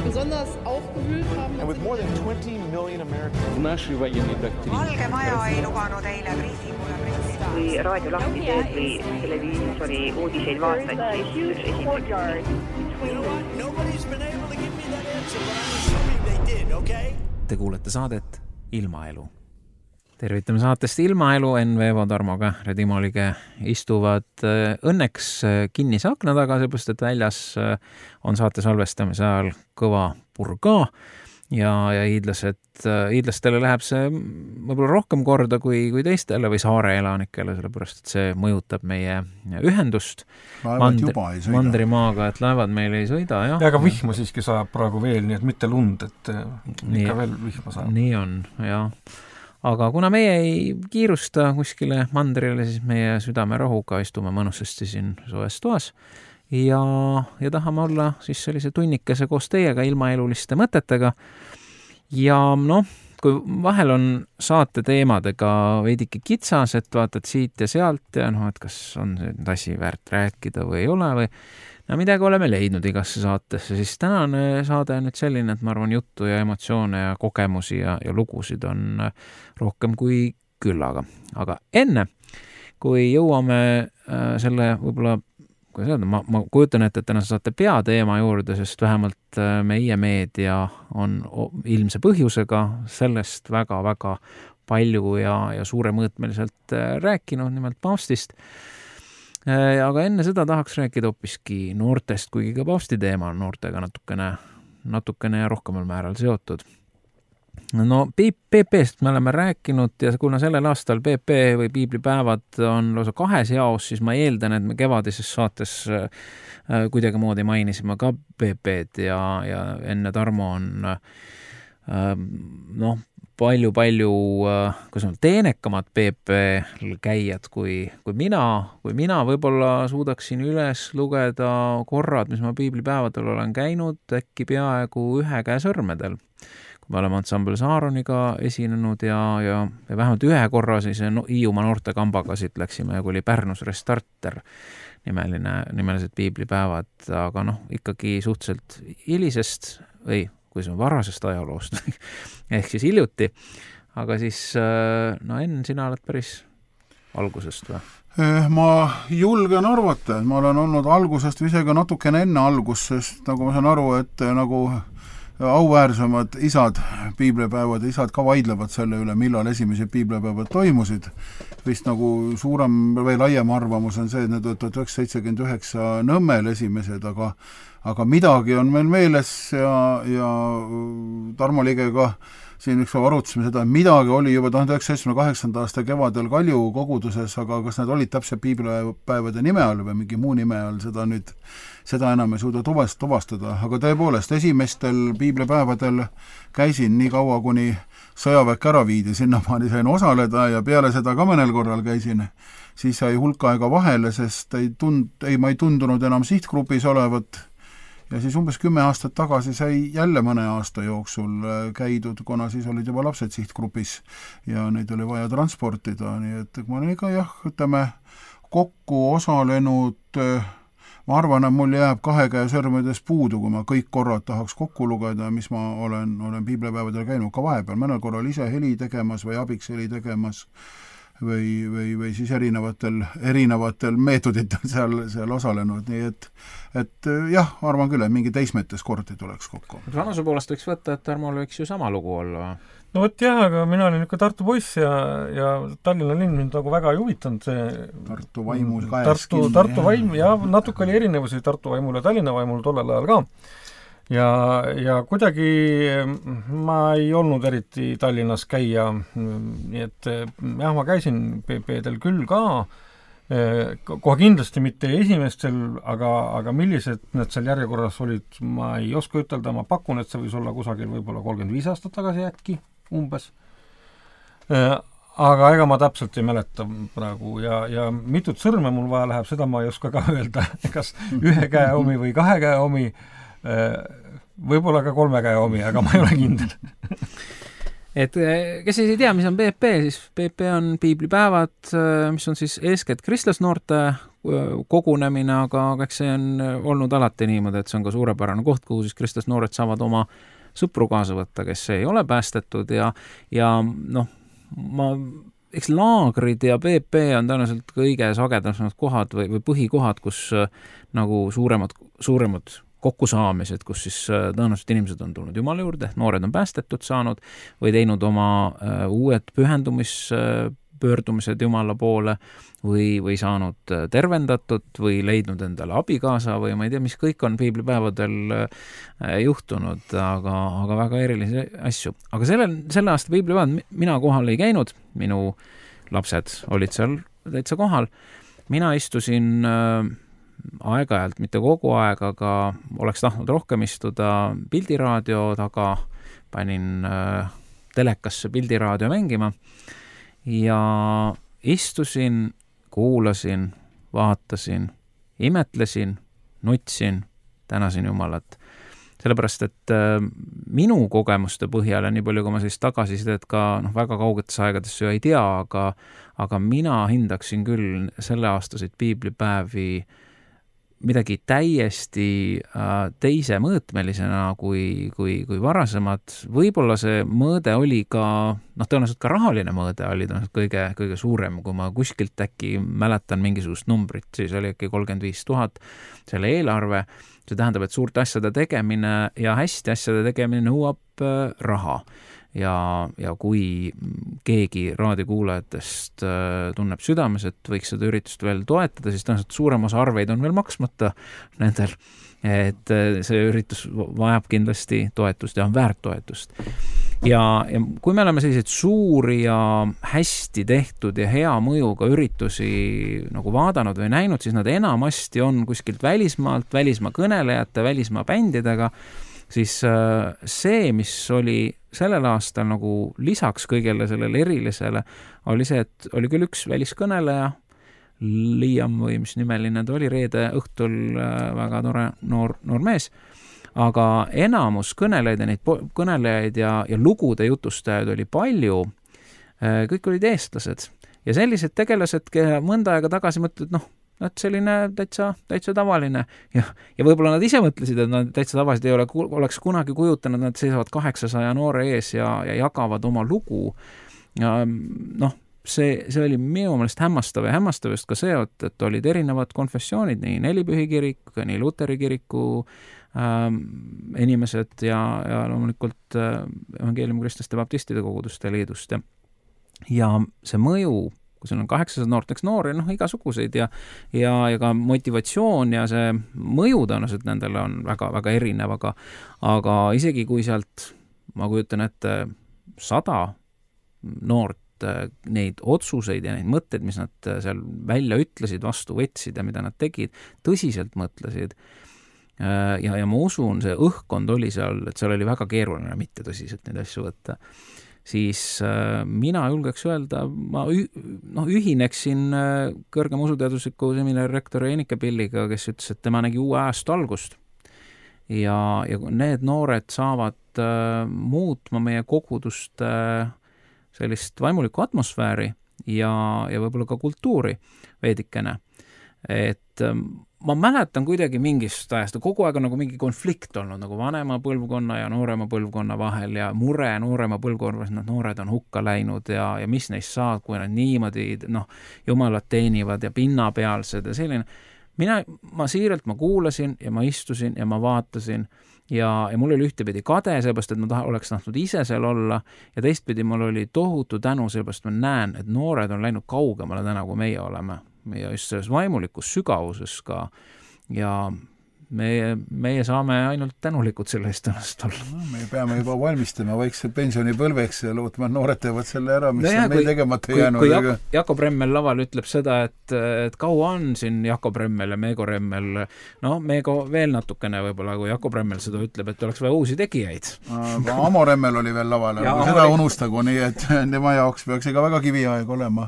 besonders aufgewühlt haben. And with more than 20 million Americans. Наши военные доктрины. Valge Maja ei lubanud eile briifingule printida. Kui raadio lahti teed või televiisori uudiseid vaatad, siis üks esimene. Nobody's been able to give me that answer, but I'm assuming they did, okay? Te kuulete saadet Ilmaelu. Tervitame saatest Ilmaelu, N-Veevo, Tarmo Kähre, Timo Lige istuvad õnneks kinnise akna taga, seepärast, et väljas on saate salvestamise ajal kõva purga ja hiidlastele läheb see võib-olla rohkem korda kui teistele või saare elanikele, sellepärast, et see mõjutab meie ühendust mandrimaaga, et laevad meil ei sõida. Ja aga vihma siiski saab praegu veel, nii et mitte lund, et ikka veel vihma saab. Nii on, jah. Aga kuna meie ei kiirusta kuskile mandrile, siis meie südame rahuga istume mõnusasti siin soes toas ja tahame olla siis sellise tunnikese koos teiega ilmaeluliste mõtetega. Ja kui vahel on saate teemadega veidike kitsas, et vaatad siit ja sealt ja et kas on see asi väärt rääkida või ei ole või midagi oleme leidnud igasse saatesse, siis tänane saade on nüüd selline, et ma arvan juttu ja emotsioone ja kogemusi ja lugusid on rohkem kui küllaga. Aga enne, kui jõuame selle võib-olla, kui öelda, ma kujutan ette tänase saate peateema juurde, sest vähemalt meie meedia on ilmse põhjusega sellest väga-väga palju ja suuremõõtmeliselt rääkinud, nimelt paavstist. Aga enne seda tahaks rääkida hoopiski noortest, kuigi ka paavsti teema on noortega natukene ja rohkemal määral seotud. PP-st me oleme rääkinud ja kuna sellel aastal PP või piiblipäevad on lausa kahes jaos, siis ma eeldan, et me kevadises saates kuidagi moodi mainisime ka PP-d ja enne Tarmo on palju teenekamad PP käijad kui mina võib-olla suudaksin üles lugeda korrad, mis ma piiblipäevadel olen käinud äkki peaaegu ühe käe sõrmedel. Kui me oleme ansambel Saaroniga esinenud ja vähemalt ühe korra siis Hiiumaa noortekambaga siit läksime, kui oli Pärnus Restarter nimelised piiblipäevad, aga ikkagi suhteliselt hilisest või kui see on varasest ajaloost, ehk siis hiljuti, aga siis Enn, sina oled päris algusest või? Ma julgen arvata, et ma olen olnud algusest või isegi natukene enne algust, sest nagu ma saan aru, et nagu auväärsemad isad, piiblipäevad, isad ka vaidlevad selle üle, millal esimesed piiblipäevad toimusid. Vist nagu suurem või laiem arvamus on see, et need 1979 Nõmmel esimesed, aga midagi on meil meeles ja Tarmo Ligega siin üks arutasime seda, et midagi oli juba 1978. aasta kevadel Kalju koguduses, aga kas need olid täpselt piiblipäevade nime all või mingi muu nime all, seda enam ei suuda tuvastada. Aga tõepoolest, esimestel piiblipäevadel käisin nii kaua, kuni sõjaväek ära viidi, sinnamaani sain osaleda ja peale seda ka mõnel korral käisin. Siis sai hulka aega vahele, sest ma ei tundunud enam sihtgrupis olevat. Ja siis umbes 10 aastat tagasi sai jälle mõne aasta jooksul käidud, kuna siis olid juba lapsed sihtgrupis ja neid oli vaja transportida. Nii et ma olen ikka kokku osalenud, ma arvan, et mul jääb 2 käe sõrmedes puudu, kui ma kõik korrad tahaks kokku lugeda, mis ma olen piiblipäevadel käinud ka vahepeal, mõnel korral ise heli tegemas või abiks heli tegemas või siis erinevatel meetoditel seal osalenud, nii et jah, arvan küll, et mingi teismetes kordi tuleks kokku. Vanuse poolest võiks võtta, et Tarmol võiks ju sama lugu olla. No võt jah, aga mina olin ikka Tartu poiss ja Tallinna linn mind nagu väga ei huvitanud see Tartu vaimul kaes kinni. Tartu vaim, ja natuke oli erinevusi Tartu vaimul ja Tallinna vaimul tollel ajal ka. Ja kuidagi ma ei olnud eriti Tallinnas käia, nii et jah, ma käisin PP-del küll ka, kohe kindlasti mitte esimestel, aga millised need seal järjekorras olid, ma ei oska ütelda, ma pakun, et see võis olla kusagil võib-olla 35 aastat tagasi äkki, umbes. Aga ega ma täpselt ei mäleta praegu ja mitut sõrme mul vaja läheb, seda ma ei oska ka öelda, kas 1 käe omi või 2 käe omi, võib-olla ka 3 käe omi, aga ma ei ole kindel. Et kes ei tea, mis on PP, siis PP on piiblipäevad, mis on siis eeskätt kristlasnoorte kogunemine, aga eks see on olnud alati niimoodi, et see on ka suurepärane koht, kuhu siis Kristus noored saavad oma sõpru kaasa võtta, kes ei ole päästetud ja noh, eks laagrid ja PP on tõenäoliselt kõige sagedasemad kohad või põhikohad, kus nagu suuremad kokkusaamised, kus siis tõenäoliselt inimesed on tulnud Jumala juurde, noored on päästetud saanud või teinud oma uued pöördumised Jumala poole või saanud tervendatud või leidnud endale abikaasa või ma ei tea, mis kõik on piiblipäevadel juhtunud, aga väga erilisi asju. Aga selle aasta piiblipäevad mina kohal ei käinud, minu lapsed olid seal täitsa kohal. Mina istusin aeg-ajalt, mitte kogu aeg, aga oleks tahtnud rohkem istuda pildiraadio taga, panin telekasse pildiraadio mängima ja istusin, kuulasin, vaatasin, imetlesin, nutsin, tänasin Jumalat. Sellepärast, et minu kogemuste põhjal ja nii palju, kui ma sellist tagasisidet ka väga kaugetes aegades ju ei tea, aga mina hindaksin küll selle aastaseid piiblipäevi midagi täiesti teise mõõtmelisena kui varasemad. Võib-olla see mõõde oli ka, tõenäoliselt ka rahaline mõõde oli kõige suurem, kui ma kuskilt äkki mäletan mingisugust numbrit, siis oli äkki 35 000 selle eelarve. See tähendab, et suurte asjade tegemine ja hästi asjade tegemine nõuab raha. Ja kui keegi raadiokuulajatest tunneb südames, et võiks seda üritust veel toetada, siis tõenäoliselt suurem osa arveid on veel maksmata nendel, et see üritus vajab kindlasti toetust ja on väärt toetust. Ja kui me oleme selliseid suuri ja hästi tehtud ja hea mõjuga üritusi nagu vaadanud või näinud, siis nad enamasti on kuskilt välismaalt, välismaa kõnelejate, välismaa bändidega, siis see, mis oli sellel aastal nagu lisaks kõigele sellele erilisele, oli see, et oli küll üks väliskõneleja, Liam või mis nimeline ta oli, reede õhtul väga tore noor mees, aga enamus kõnelejaid ja lugude jutustajaid oli palju, kõik olid eestlased. Ja sellised tegelased, kelle mõnda aega tagasi mõtled, et selline täitsa tavaline ja võib-olla nad ise mõtlesid, et nad täitsa tavaliselt ei oleks kunagi kujutanud, nad seisavad 800 noore ees ja jagavad oma lugu. Ja see oli minu meelest hämmastav ja hämmastav just ka see, et olid erinevad konfessioonid, nii Nelipühi kirik, nii Luteri kiriku inimesed ja loomulikult Evangeeliumi Kristlaste Baptistide koguduste liidust ja see mõju, kui sul on 800 noorteks noori, igasuguseid ja ka motivatsioon ja see mõju tõenäoliselt nendele on väga, väga erinev, aga isegi kui sealt, ma kujutan ette 100 noort neid otsuseid ja neid mõtteid, mis nad seal välja ütlesid, vastu võtsid ja mida nad tegid, tõsiselt mõtlesid ja ma usun, see õhkkond oli seal, et seal oli väga keeruline mitte tõsiselt neid asju võtta. Siis mina julgeks öelda, ma ühineksin kõrgema usuteadusliku seminari rektori Enike Pilliga, kes ütles, et tema nägi uue ajastu algust. Ja need noored saavad muutma meie kogudust sellist vaimulikku atmosfääri ja võib-olla ka kultuuri veidikene. Et ma mäletan kuidagi mingist ajast, kogu aeg on nagu mingi konflikt olnud nagu vanema põlvkonna ja noorema põlvkonna vahel ja mure noorema põlvkonna, nad noored on hukka läinud ja mis neist saab, kui nad niimoodi Jumalat teenivad ja pinnapealsed ja selline. Ma siiralt kuulasin ja ma istusin ja ma vaatasin ja mul oli ühtepidi kade, seepärast, et ma oleks tahtnud ise seal olla ja teistpidi mul oli tohutu tänu, seepärast ma näen, et noored on läinud kaugemale täna, kui meie oleme. Ja just selles vaimulikus sügavuses ka ja meie saame ainult tänulikud selle eest ennast olla. Me peame juba valmistama vaikselt pensionipõlveks ja lootma, et noored teevad selle ära, mis on meil tegemata jäänud. Kui Jakob Remmel laval ütleb seda, et kaua on siin Jakob Remmel ja Meego Remmel, Meego veel natukene võib-olla, kui Jakob Remmel seda ütleb, et oleks vaja uusi tegijaid. Aga Amo Remmel oli veel laval, aga seda unustagu, nii et tema jaoks peaks ega väga kiviaeg olema.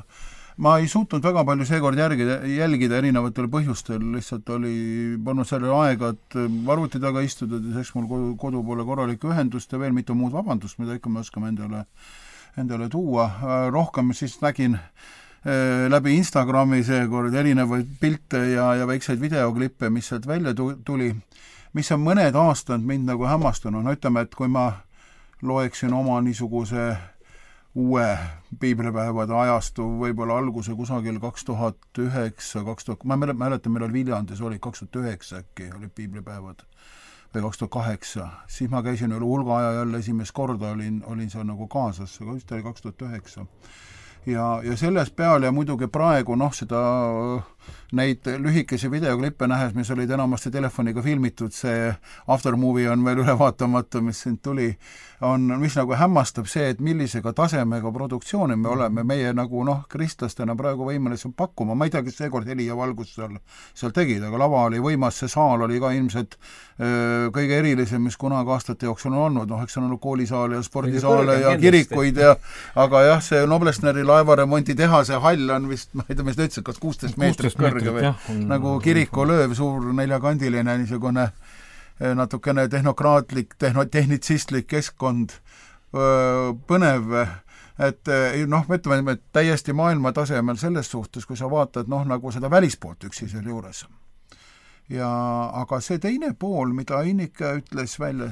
Ma ei suutnud väga palju seekord jälgida erinevatel põhjustel, lihtsalt oli pannud selle aega, et arvuti taga istuda, seks mul kodu poole korralikku ühendust ja veel mitu muud vabandust, mida ikka me oskame endale tuua. Rohkem siis nägin läbi Instagrami seekord erinevaid pilte ja väikseid videoklippe, mis sealt välja tuli, mis on mõned aastad mind nagu hämmastunud. No ütleme, et kui ma loeksin oma niisuguse uue piiblipäevade ajastu võib-olla alguse kusagil 2009, ma mäletan, meil oli Viljandis, oli 2009 äkki, oli piiblipäevad või 2008, siis ma käisin üle hulga aja jälle esimest korda, olin seal nagu kaasas, aga just oli 2009. Ja selles peal ja muidugi praegu seda neid lühikesi videoklippe nähes, mis olid enamasti telefoniga filmitud, see aftermovie on veel üle vaatamata, mis siin tuli, mis nagu hämmastab see, et millisega tasemega produktsiooni me oleme, meie nagu kristlastena praegu võimelised pakkuma, ma ei tea, kes seekord heli ja valgus seal tegid, aga lava oli võimas, see saal oli ka ilmselt kõige erilisem, mis kunagi aastate jooksul on olnud, eks on olnud koolisaale ja spordisaale ja kirikuid aga jah, see Noblessneri laevaremonti tehase hall on vist, ma ei tea, mis ta ütles, kas 16 meetrit kõrge või nagu kirikulööv, suur neljakandiline niisugune natukene tehnokraatlik, tehnitsistlik keskkond, põnev, et ütleme, et täiesti maailma tasemel selles suhtes, kui sa vaatad nagu seda välispoolt üksi seal juures. Aga see teine pool, mida Innike ütles välja,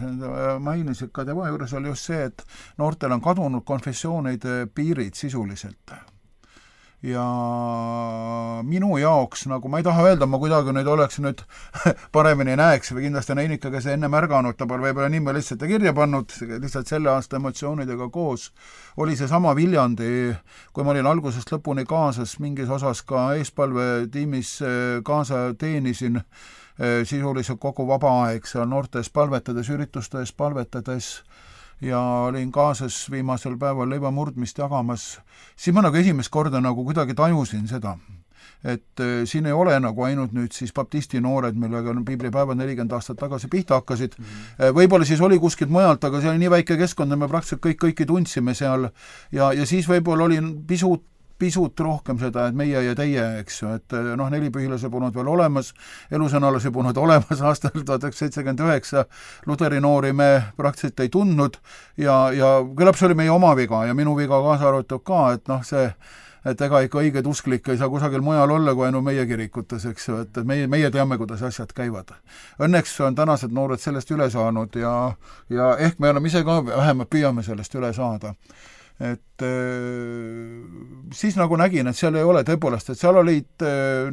mainis, et ka tema juures oli just see, et noortel on kadunud konfessioonide piirid sisuliselt. Ja minu jaoks, nagu ma ei taha öelda, ma kuidagi nüüd oleks nüüd paremini näeks või kindlasti Innike, kes enne märganud, ta pole võib-olla nime lihtsalt kirja pannud, lihtsalt selle aasta emotsioonidega koos, oli see sama Viljandi, kui ma olin algusest lõpuni kaasas, mingis osas ka eespalvetiimis kaasa teenisin, sisuliselt kogu vaba aeg seal noortes palvetades, üritustes palvetades, ja olin kaasas viimasel päeval leivamurdmist jagamas, siis ma nagu esimest korda nagu kuidagi tajusin seda, et siin ei ole nagu ainult nüüd siis baptisti noored, millega on piiblipäevad 40 aastat tagasi pihta hakkasid, võib-olla siis oli kuskilt mujalt, aga see oli nii väike keskkond, me praktiliselt kõiki tundsime seal ja siis võib-olla oli pisut rohkem seda, et meie ja teie, eks ju, et nelipühilase polnud veel olemas, elusõnalase polnud olemas aastal 1979, Luteri noori me praktiliselt ei tundnud ja küllap see oli meie oma viga ja minu viga kaasa arvatud ka, et ega ikka õiged usklik ei saa kusagil mujal olla kui ainult meie kirikutes, eks ju, et meie teame, kuidas asjad käivad. Õnneks on tänased noored sellest üle saanud ja ehk me oleme ise ka vähemalt püüame sellest üle saada. Et siis nagu nägin, et seal ei ole tõepoolest, et seal olid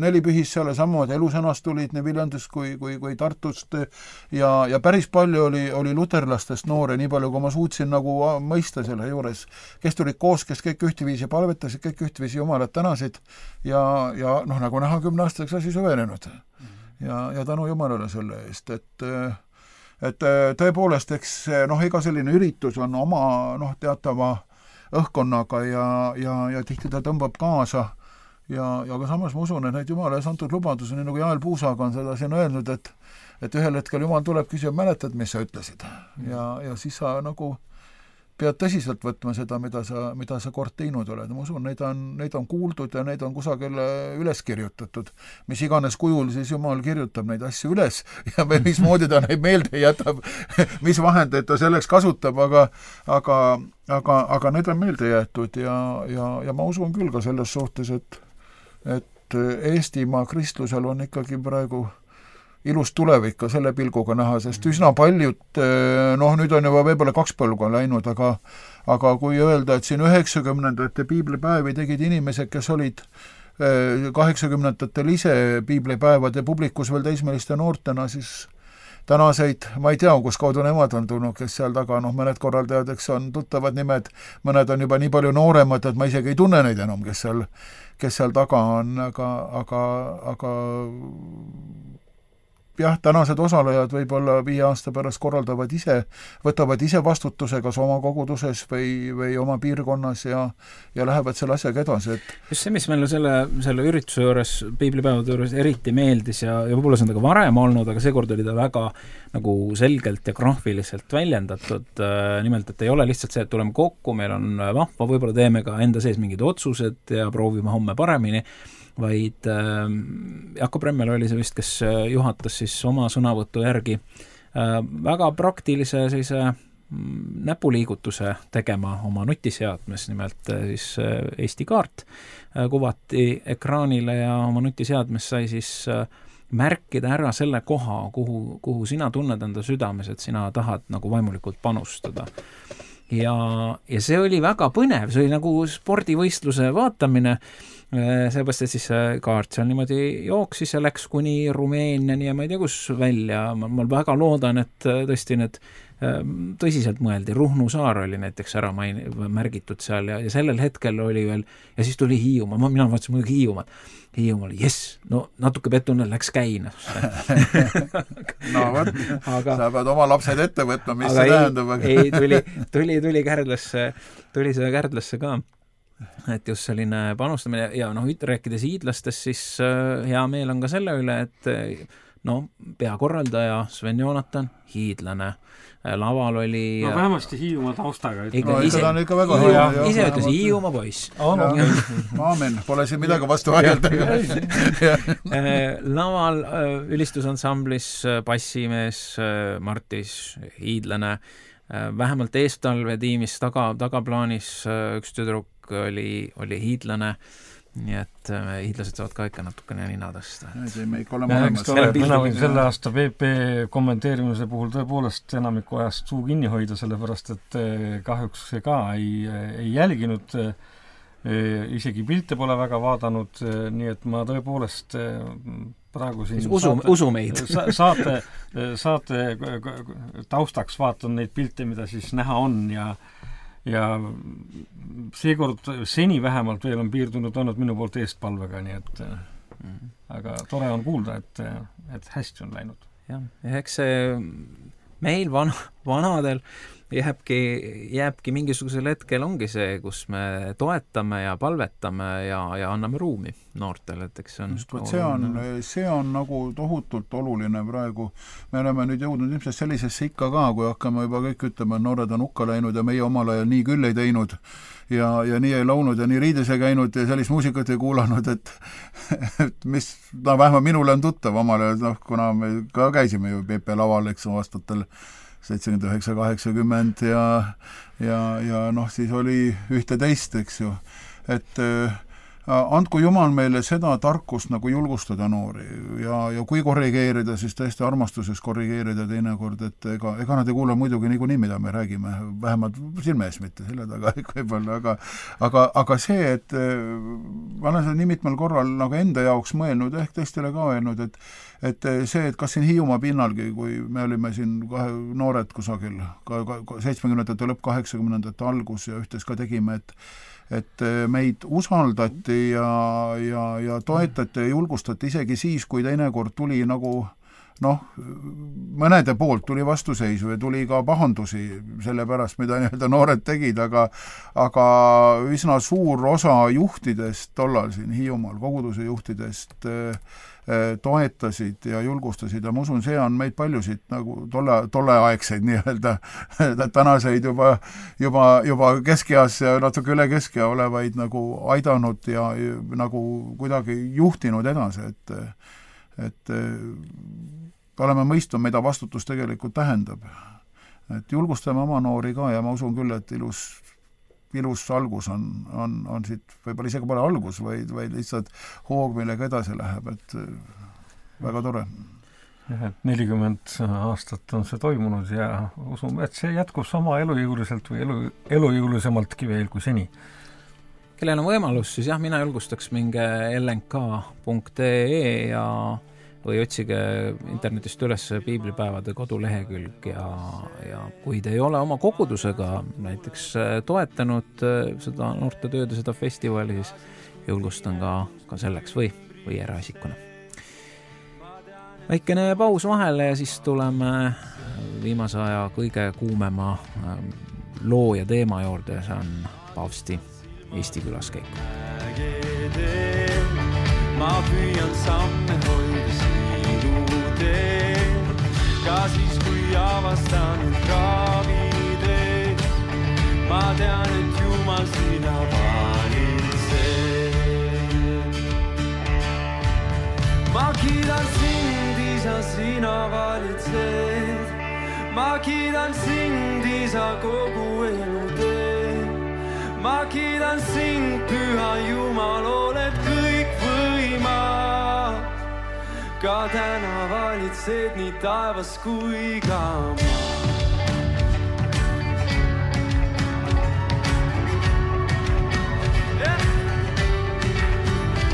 nelipühis seal samad elusõnast tulid nii Viljandist kui Tartust ja päris palju oli luterlastest noore, nii palju kui ma suutsin nagu mõista selle juures, kes tulid koos, kes kõik ühteviisi palvetasid, kõik ühteviisi jumalat tänasid ja nagu näha 10-aastaseks asi süvenenud ja tänu jumalale selle eest, et tõepoolest, eks iga selline üritus on oma teatava õhkkonnaga ja tihti ta tõmbab kaasa ja ka samas ma usun, et need Jumala ees antud lubadus, nii nagu Jael Puusaga on seda siin öelnud, et ühel hetkel Jumal tuleb küsib, mäletad, mis sa ütlesid ja siis sa nagu pead tõsiselt võtma seda, mida sa kord teinud oled. Ma usun, neid on kuuldud ja neid on kusagil üles kirjutatud. Mis iganes kujul siis Jumal kirjutab neid asju üles ja mismoodi ta neid meelde jätab, mis vahendeid ta selleks kasutab, aga need on meelde jäetud ja ma usun küll ka selles suhtes, et Eestimaa kristlusel on ikkagi praegu ilus tulevik ka selle pilguga näha, sest üsna paljud, nüüd on juba võib-olla 2 põlgu läinud, aga kui öelda, et siin 90-ndate piiblipäevi tegid inimesed, kes olid 80-ndatel ise piiblipäevade publikus veel teismeliste noortena, siis tänaseid, ma ei tea, kus kaudu nemad on tulnud, kes seal taga, mõned korraldajad, eks on tuttavad nimed, mõned on juba nii palju nooremad, et ma isegi ei tunne neid enam, kes seal taga on, aga jah, tänased osalejad võib-olla 5 aasta pärast korraldavad ise, võtavad ise vastutuse kas oma koguduses või oma piirkonnas ja lähevad selle asjaga edasi. Just see, mis meil selle ürituse juures, piiblipäevade juures eriti meeldis ja võib-olla see on ka varem olnud, aga seekord oli ta väga nagu selgelt ja graafiliselt väljendatud, nimelt, et ei ole lihtsalt see, et tuleme kokku, meil on vahva, võib-olla teeme ka enda sees mingid otsused ja proovime homme paremini, vaid Jakob Remmel oli see vist, kes juhatas siis oma sõnavõtu järgi väga praktilise sellise näpuliigutuse tegema oma nutiseadmes, nimelt siis Eesti kaart kuvati ekraanile ja oma nutiseadmes sai siis märkida ära selle koha, kuhu sina tunned enda südames, et sina tahad nagu vaimulikult panustada. Ja see oli väga põnev, see oli nagu spordivõistluse vaatamine, seepärast, et siis kaart seal niimoodi jooksis ja läks kuni Rumeeniani ja ma ei tea, kus välja. Ma väga loodan, et tõesti need tõsiselt mõeldi. Ruhnu saar oli näiteks ära märgitud seal ja sellel hetkel oli veel, ja siis tuli Hiiumaa, mina vaatasin muidugi Hiiumaal, jess, no natuke pettunud läks käina. No võt, sa pead oma lapsed ette võtma, mis see tähendab. Ei, tuli seda Kärdlasse ka, et just selline panustamine ja rääkides hiidlastest, siis hea meel on ka selle üle, et peakorraldaja Sven Joonatan, hiidlane, laval oli vähemasti Hiiumaa taustaga. Ise ütles Hiiumaa poiss. Aamen, pole siin midagi vastu vaielda. Laval ülistusansamblis bassimees Martis, hiidlane, vähemalt eestalve tiimis tagaplaanis üks tüdruk oli hiidlane. Nii et hiidlased saavad ka ikka natukene nina tõsta. Mina võin selle aasta PP kommenteerimise puhul tõepoolest enamiku ajast suu kinni hoida, sellepärast et kahjuks see ka ei jälginud, isegi pilte pole väga vaadanud, nii et ma tõepoolest praegu siin usu meid. saate taustaks vaatan neid pilte, mida siis näha on ja seekord seni vähemalt veel on piirdunud olnud minu poolt eestpalvega, nii et aga tore on kuulda, et hästi on läinud. Ja eks see meil vanadel jääbki mingisugusel hetkel ongi see, kus me toetame ja palvetame ja anname ruumi noortele, et eks see on nagu tohutult oluline praegu. Me oleme nüüd jõudnud ilmselt sellisesse ikka ka, kui hakkame juba kõik ütlema, et noored on hukka läinud ja meie omal ajal nii küll ei teinud ja nii ei launud ja nii riides ei käinud ja sellist muusikat ei kuulanud, et mis, vähemalt minule on tuttav omal ajal, kuna me ka käisime ju PP laval, eks aastatel 79-80 ja siis oli ühte teist, eks ju, et andku Jumal meile seda tarkust nagu julgustada noori ja kui korrigeerida, siis tõesti armastuses korrigeerida teinekord, et ega nad ei kuule muidugi niikuinii, mida me räägime, vähemalt silme ees mitte selle taga võib-olla, aga see, et ma olen seda nii mitmel korral nagu enda jaoks mõelnud, ehk teistele ka öelnud, et see, et kas siin Hiiumaa pinnalgi, kui me olime siin noored kusagil 70-ndate lõpp 80-ndate algus ja ühtes ka tegime, et meid usaldati ja toetati ja julgustati isegi siis, kui teinekord tuli nagu mõnede poolt tuli vastuseisu ja tuli ka pahandusi selle pärast, mida noored tegid, aga üsna suur osa juhtidest tollal siin Hiiumaal, koguduse juhtidest toetasid ja julgustasid ja ma usun, see on meid paljusid nagu tolleaegseid nii-öelda tänaseid juba keskeas ja natuke üle keskea olevaid nagu aidanud ja nagu kuidagi juhtinud edasi, et oleme mõistnud, mida vastutus tegelikult tähendab. Et julgustame oma noori ka ja ma usun küll, et ilus algus on siit, võib-olla isegi pole algus, vaid lihtsalt hoog, millega edasi läheb, et väga tore. 40 aastat on see toimunud ja usume, et see jätkub sama elujõuliselt või elujõulisemaltki veel kui seni. Kellel on võimalus, siis mina julgustaks minge lnk.ee või otsige internetist üles piiblipäevade kodulehekülg ja kui te ei ole oma kogudusega näiteks toetanud seda noortetööd ja seda festivali, siis julgustan ka selleks või eraisikuna. Väikene paus vahele ja siis tuleme viimase aja kõige kuumema loo ja teema juurde, see on Paavsti Eesti külaskäik. Ma püüan samme hoida sidu teel, ka siis kui avastan kraavideed. Ma tean, et Jumal sina valitsed. Ma kiidan sind, Isa, sina valitsed. ma kiidan sind, isa, kogu elu teen. Ma kiidan sind, püha Jumal, oled kõikvõimas. Ka täna valitsed nii taevas kui ka maa.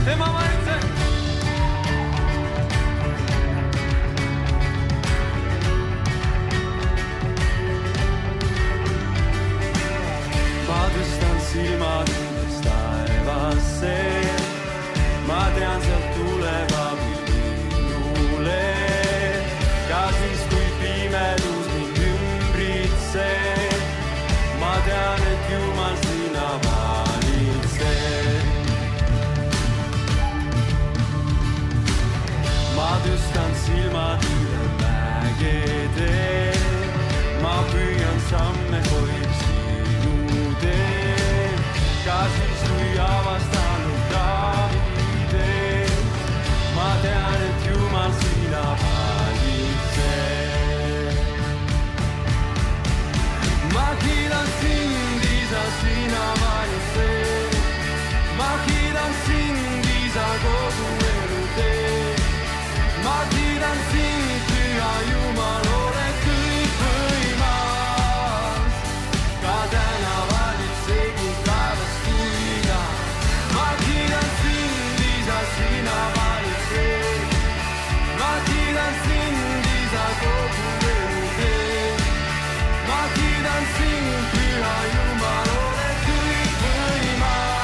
Tema valitseb. Ma tõstan silmad üles taevasse. Ma tean, sealt tuleb abi minule. Ka siis, kui pimedus mind ümbritseb. Ma tean, et Jumal sina valitseb. Ma tõstan silmad üle mägede. Ma püüan samme hoida sinu teel. Ka siis, kui avastanud Davidee. Ma tean, et Jumal sina valitseb. Ma kiidan sind, isa, sina valitseb. Ma kiidan sind, isa, kogu elu tee. Ma kiidan sind, püha Jumal, oled kõikvõimas. Ka täna valitseb nii taevas kui ka. Ma kiidan sind, isa, sina valitseb. Ma kiidan sind, isa, kogu elu tee. Ma kiidan sind, püha Jumal, oled kõikvõimas.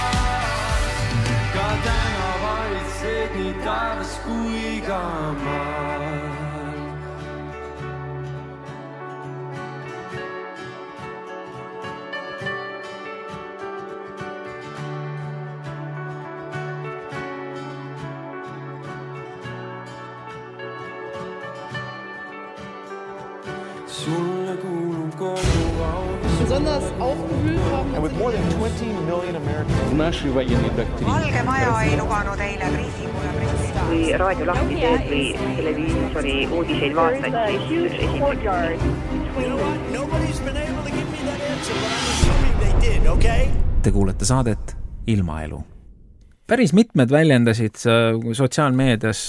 Ka täna valitseb nii taevas kui ka maal. Sulle kuulub kogu au. Besonders aufgewühlt haben. And with more than 20 million Americans. Valge Maja ei lubanud eile briifingule printida. Kui raadio lahti teed või televiisori uudiseid vaatad, siis üks esimene. Nobody's been able to give me that answer, but I'm assuming they did, okay? Te kuulete saadet Ilmaelu. Päris mitmed väljendasid sotsiaalmeedias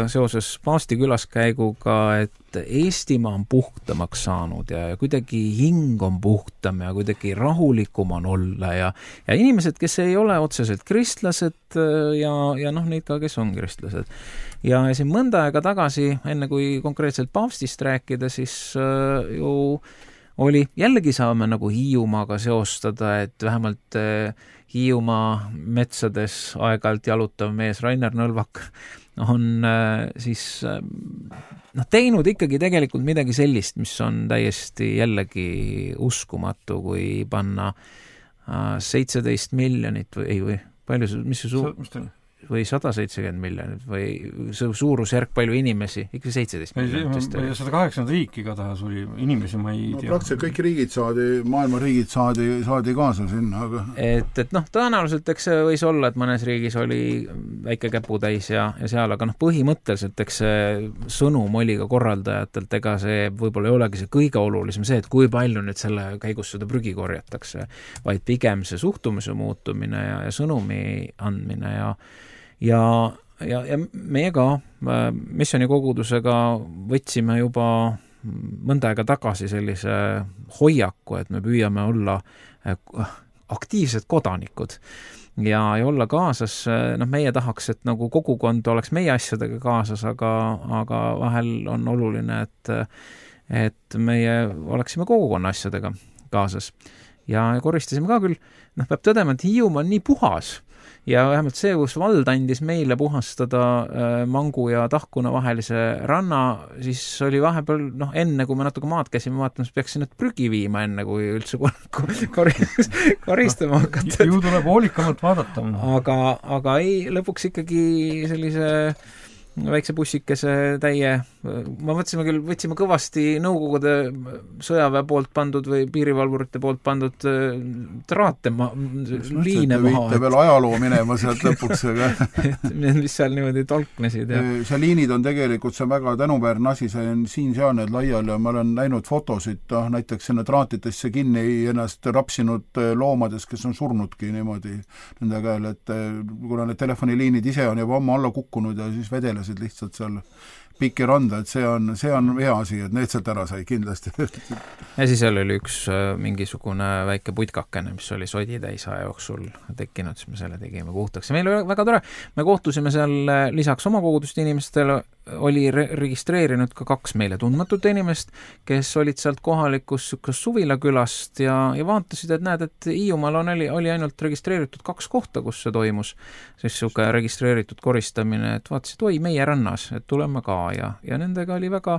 seoses paavsti külaskäiguga, et Eestimaa on puhtamaks saanud ja kuidagi hing on puhtam ja kuidagi rahulikum on olla ja inimesed, kes ei ole otseselt kristlased ja noh, neid ka, kes on kristlased. Ja siin mõnda aega tagasi, enne kui konkreetselt paavstist rääkida, siis ju oli, jällegi saame nagu Hiiumaaga seostada, et vähemalt Hiiumaa metsades aeg-ajalt jalutav mees Rainer Nõlvak on siis teinud ikkagi tegelikult midagi sellist, mis on täiesti jällegi uskumatu, kui panna 17 miljonit või palju, mis see või 170 miljonit või suurusjärk palju inimesi, ikka 17 miljonit. 180 riiki igatahes oli inimesi, ma ei tea. Praktiliselt kõik riigid maailma riigid saadi kaasa sinna. Aga... Et tõenäoliselt eks see võis olla, et mõnes riigis oli väike käputäis ja seal, aga põhimõtteliselt eks see sõnum oli ka korraldajatelt, ega see võib-olla ei olegi see kõige olulisem see, et kui palju nüüd selle käigus seda prügi korjatakse, vaid pigem see suhtumise muutumine ja sõnumi andmine ja meie ka missionikogudusega võtsime juba mõnda aega tagasi sellise hoiaku, et me püüame olla aktiivsed kodanikud ja olla kaasas, meie tahaks, et nagu kogukond oleks meie asjadega kaasas, aga vahel on oluline, et meie oleksime kogukonna asjadega kaasas ja koristasime ka küll, peab tõdema, et Hiiumaa on nii puhas ja vähemalt see, kus vald andis meile puhastada Mangu ja Tahkuna vahelise ranna, siis oli vahepeal, enne kui me natuke maad käisime vaatamas, peaks sinna prügi viima enne, kui üldse koristama hakata. Ju tuleb hoolikamalt vaadata. Aga ei, lõpuks ikkagi sellise väikse bussikese täie, ma võtsime kõvasti Nõukogude sõjaväe poolt pandud või piirivalvurite poolt pandud traate liine maha. Viite veel ajaloo minema sealt lõpuks, aga mis seal niimoodi tolknesid. See liinid on tegelikult, see on väga tänuväärne asi, see on siin-seal need laiali ja ma olen näinud fotosid, näiteks sinna traatidesse kinni ennast rapsinud loomades, kes on surnudki niimoodi nende käel, et kuna need telefoniliinid ise on juba ammu alla kukkunud ja siis vedelesid lihtsalt seal pikki randa, et see on hea asi, et need sealt ära sai kindlasti. Ja siis seal oli üks mingisugune väike putkakene, mis oli soditäis aja jooksul tekkinud, siis me selle tegime puhtaks. Ja meil oli väga tore, me kohtusime seal lisaks oma koguduste inimestele, oli registreerinud ka 2 meile tundmatut inimest, kes olid sealt kohalikus suvilakülast ja vaatasid, et näed, et Hiiumaal oli ainult registreeritud 2 kohta, kus see toimus, siis suke registreeritud koristamine, et vaatasid, oi, meie rannas, et tuleme ka ja nendega oli väga,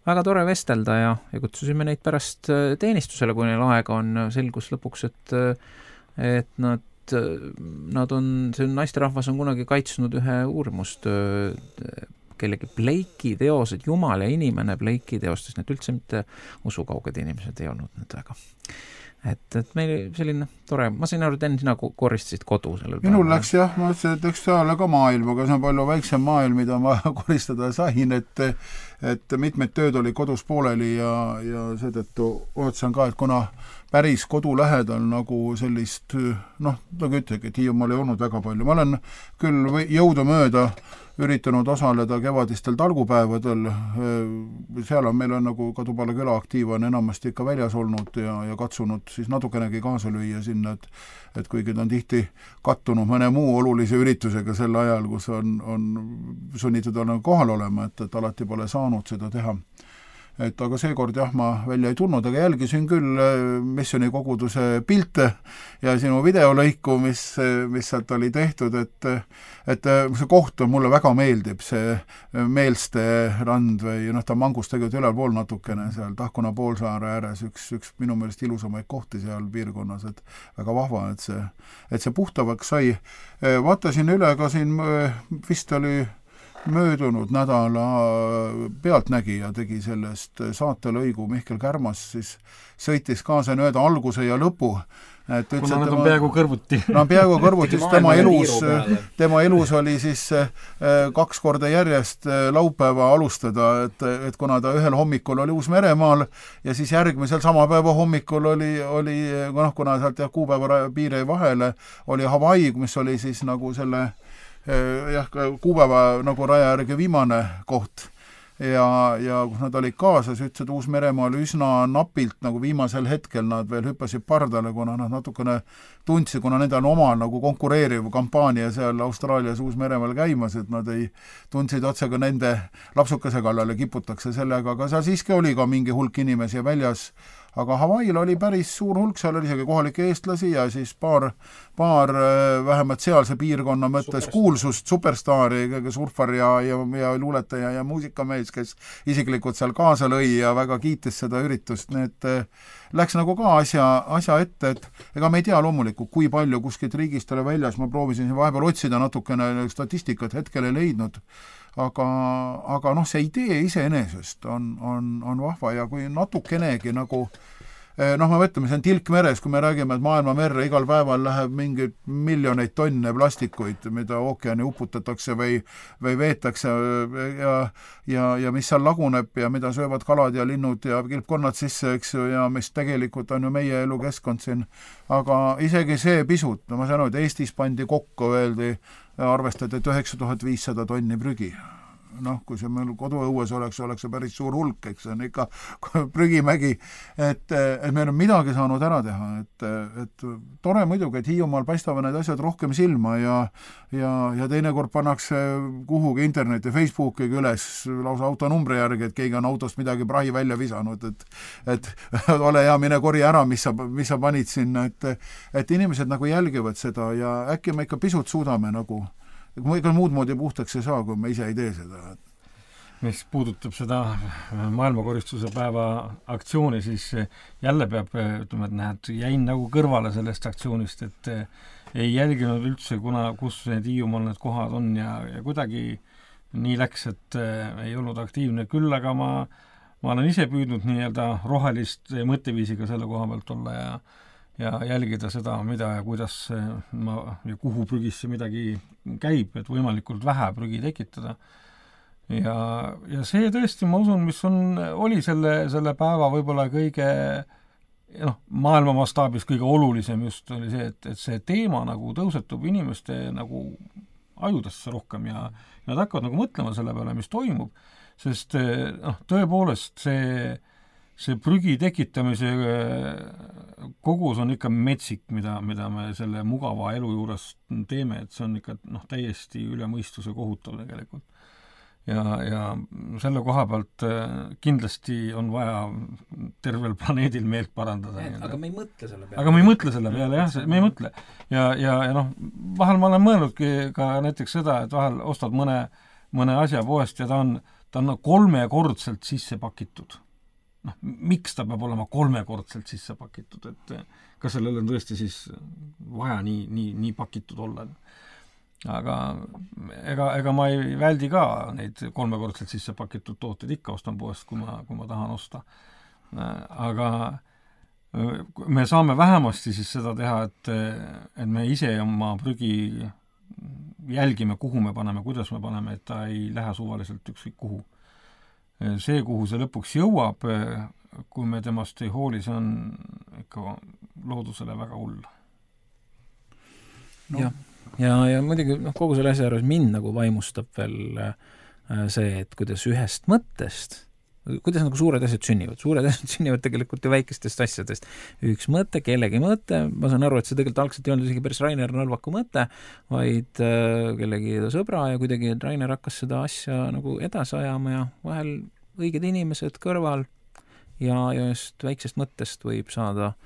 väga tore vestelda ja kutsusime neid pärast teenistusele, kui neil aega on, selgus lõpuks, et nad on, see naisterahvas on kunagi kaitsnud ühe uurimust kellegi Blake'i teosed, Jumal ja inimene Blake'i teostes, need üldse mitte usukauged inimesed ei olnud need väga. Et meil selline tore, ma sain aru, et enne sina koristasid kodu sellel päeval. Minul läks jah, ma ütlesin, et eks seal ka maailm, aga see on palju väiksem maailm, mida ma koristada sain, et mitmed tööd oli kodus pooleli ja seetõttu otsan ka, et kuna päris kodu lähedal nagu sellist, nagu ütlegi, et Hiiumaal ei olnud väga palju. Ma olen küll jõudumööda üritanud osaleda kevadistel talgupäevadel, seal meil on nagu Kadupala küla aktiiv on enamasti ikka väljas olnud ja katsunud siis natukenegi kaasa lüüa sinna, et kuigi ta on tihti kattunud mõne muu olulise üritusega sel ajal, kus on sunnitud olema kohal olema, et alati pole saanud seda teha. Et aga seekord jah, ma välja ei tulnud, aga jälgisin küll Missioni koguduse pilte ja sinu videolõiku, mis sealt oli tehtud, et see koht on mulle väga meeldib, see Meelste rand või ta mangus tegelikult ülalpool natukene seal Tahkuna poolsaare ääres, üks minu meelest ilusamaid kohti seal piirkonnas, et väga vahva, et see puhtavaks sai. Vaatasin üle ka siin, vist oli möödunud nädala Pealtnägija tegi sellest saatelõigu, Mihkel Kärmas siis sõitis kaasa öelda alguse ja lõpu. Kuna nad on peaaegu kõrvuti. Peaaegu kõrvuti, tema elus oli siis 2 korda järjest laupäeva alustada, et kuna ta ühel hommikul oli Uus-Meremaal ja siis järgmisel sama päeva hommikul oli kuna sealt kuupäeva piiri vahele, oli Hawaii, mis oli siis nagu selle kuupäeva nagu raja järgi viimane koht ja kus nad olid kaasas, ütlesid Uus-Meremaal üsna napilt, nagu viimasel hetkel nad veel hüppasid pardale, kuna nad natukene tundsid, kuna nendel on oma nagu konkureeriv kampaania seal Austraalias Uus-Meremaal käimas, et nad ei tundsid otsega nende lapsukese kallale kiputakse sellega, aga seal siiski oli ka mingi hulk inimesi väljas, aga Hawaii'l oli päris suur hulk, seal oli isegi kohalikke eestlasi ja siis paar vähemalt sealse piirkonna mõttes kuulsust, superstaari, surfar ja luuletaja ja muusikamees, kes isiklikult seal kaasa lõi ja väga kiitis seda üritust, need läks nagu ka asja ette, et ega me ei tea loomulikult, kui palju kuskilt riigist oli väljas, ma proovisin vahepeal otsida natukene statistikat, hetkel ei leidnud, aga see idee iseenesest on vahva ja kui natukenegi nagu me mõtleme, see on tilk meres, kui me räägime, et maailma merre igal päeval läheb mingi miljoneid tonne plastikuid, mida ookeani uputatakse või veetakse ja mis seal laguneb ja mida söövad kalad ja linnud ja kilpkonnad sisse, eks ju, ja mis tegelikult on ju meie elukeskkond siin. Aga isegi see pisut, ma saan aru, et Eestis pandi kokku, öeldi, arvestati, et 9500 tonni prügi. Kui see meil koduõues oleks see päris suur hulk, eks see on ikka prügimägi, et meil on midagi saanud ära teha, et tore muidugi, et Hiiumaal paistavad need asjad rohkem silma ja teinekord pannakse kuhugi interneti, Facebooki üles lausa autonumbri järgi, et keegi on autost midagi prahi välja visanud, et ole hea, mine korja ära, mis sa panid sinna, et inimesed nagu jälgivad seda ja äkki me ikka pisut suudame nagu ega muud moodi puhtaks ei saa, kui me ise ei tee seda. Mis puudutab seda maailmakoristuse päeva aktsiooni, siis jälle peab, ütleme, et näed, jäin nagu kõrvale sellest aktsioonist, et ei jälginud üldse, kus need Hiiumaal need kohad on ja kuidagi nii läks, et ei olnud aktiivne, küll aga ma olen ise püüdnud nii-öelda rohelist mõtteviisiga selle koha pealt olla ja jälgida seda, mida ja kuidas ja kuhu prügisse midagi käib, et võimalikult vähe prügi tekitada. Ja see tõesti, ma usun, mis oli selle päeva võib-olla kõige maailma mastaabis kõige olulisem just oli see, et see teema nagu tõusetub inimeste nagu ajudesse rohkem ja nad hakkavad nagu mõtlema selle peale, mis toimub, sest tõepoolest see prügi tekitamise kogus on ikka metsik, mida me selle mugava elu juures teeme, et see on ikka täiesti üle mõistuse kohutav tegelikult. Ja selle koha pealt kindlasti on vaja tervel planeedil meelt parandada. Aga me ei mõtle selle peale. Aga me ei mõtle selle peale, jah, me ei mõtle. Ja vahel ma olen mõelnudki ka näiteks seda, et vahel ostad mõne asja poest ja ta on 3-kordselt sisse pakitud. Miks ta peab olema 3-kordselt sisse pakitud, et kas sellel on tõesti siis vaja nii pakitud olla? Aga ega ma ei väldi ka neid 3-kordselt sisse pakitud tooteid, ikka ostan poest, kui ma tahan osta. Aga me saame vähemasti siis seda teha, et me ise oma prügi jälgime, kuhu me paneme, kuidas me paneme, et ta ei lähe suvaliselt ükskõik kuhu. See, kuhu see lõpuks jõuab, kui me temast ei hooli, see on ikka loodusele väga hull. Jah. Ja muidugi kogu selle asja arvas mind nagu vaimustab veel see, et kuidas ühest mõttest, kuidas nagu suured asjad sünnivad. Suured asjad sünnivad tegelikult ju väikestest asjadest. Üks mõte, kellegi mõte, ma saan aru, et see tegelikult algselt ei olnud isegi päris Rainer Nõlvaku mõte, vaid kellegi sõbra ja kuidagi Rainer hakkas seda asja nagu edasi ajama ja vahel õiged inimesed kõrval ja just väiksest mõttest võib saada.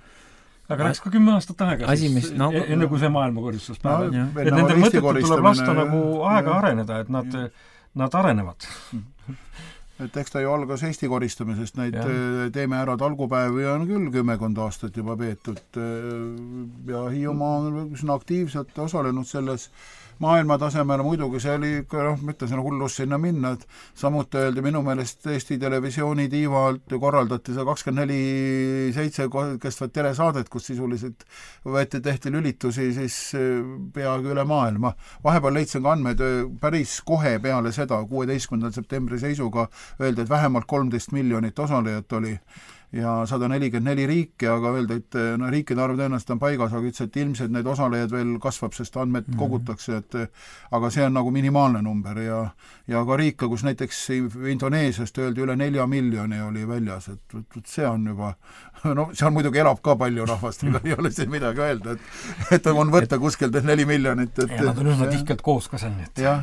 Aga läks ka 10 aastat aega enne kui see maailmakoristus päev. Et nende mõtetel tuleb lasta nagu aega areneda, et nad arenevad. Et eks ta ju algas Eesti koristamisest, neid teeme ära talgupäevi on küll 10 aastat juba peetud ja Hiiumaa on üsna aktiivselt osalenud selles maailma tasemel, muidugi see oli, ma ütlen, hullus sinna minna, et samuti öeldi minu meelest Eesti Televisiooni tiivalt korraldati see 24/7 kestvat telesaadet, kus sisuliselt tehti lülitusi siis peaaegu üle maailma. Vahepeal leidsin ka andmed päris kohe peale seda, 16. septembri seisuga öeldi, et vähemalt 13 miljonit osalejat oli ja 144 riiki, aga öelda, et riikide arv tõenäoliselt on paigas, aga ütles, et ilmselt need osalejad veel kasvab, sest andmed kogutakse, aga see on nagu minimaalne number ja ka riike, kus näiteks Indoneesiast öeldi üle 4 miljoni oli väljas, et see on juba, seal muidugi elab ka palju rahvast, ei ole siin midagi öelda, et on võtta kuskilt 4 miljonit. Ja nad on üsna tihkelt koos ka seal. Jah,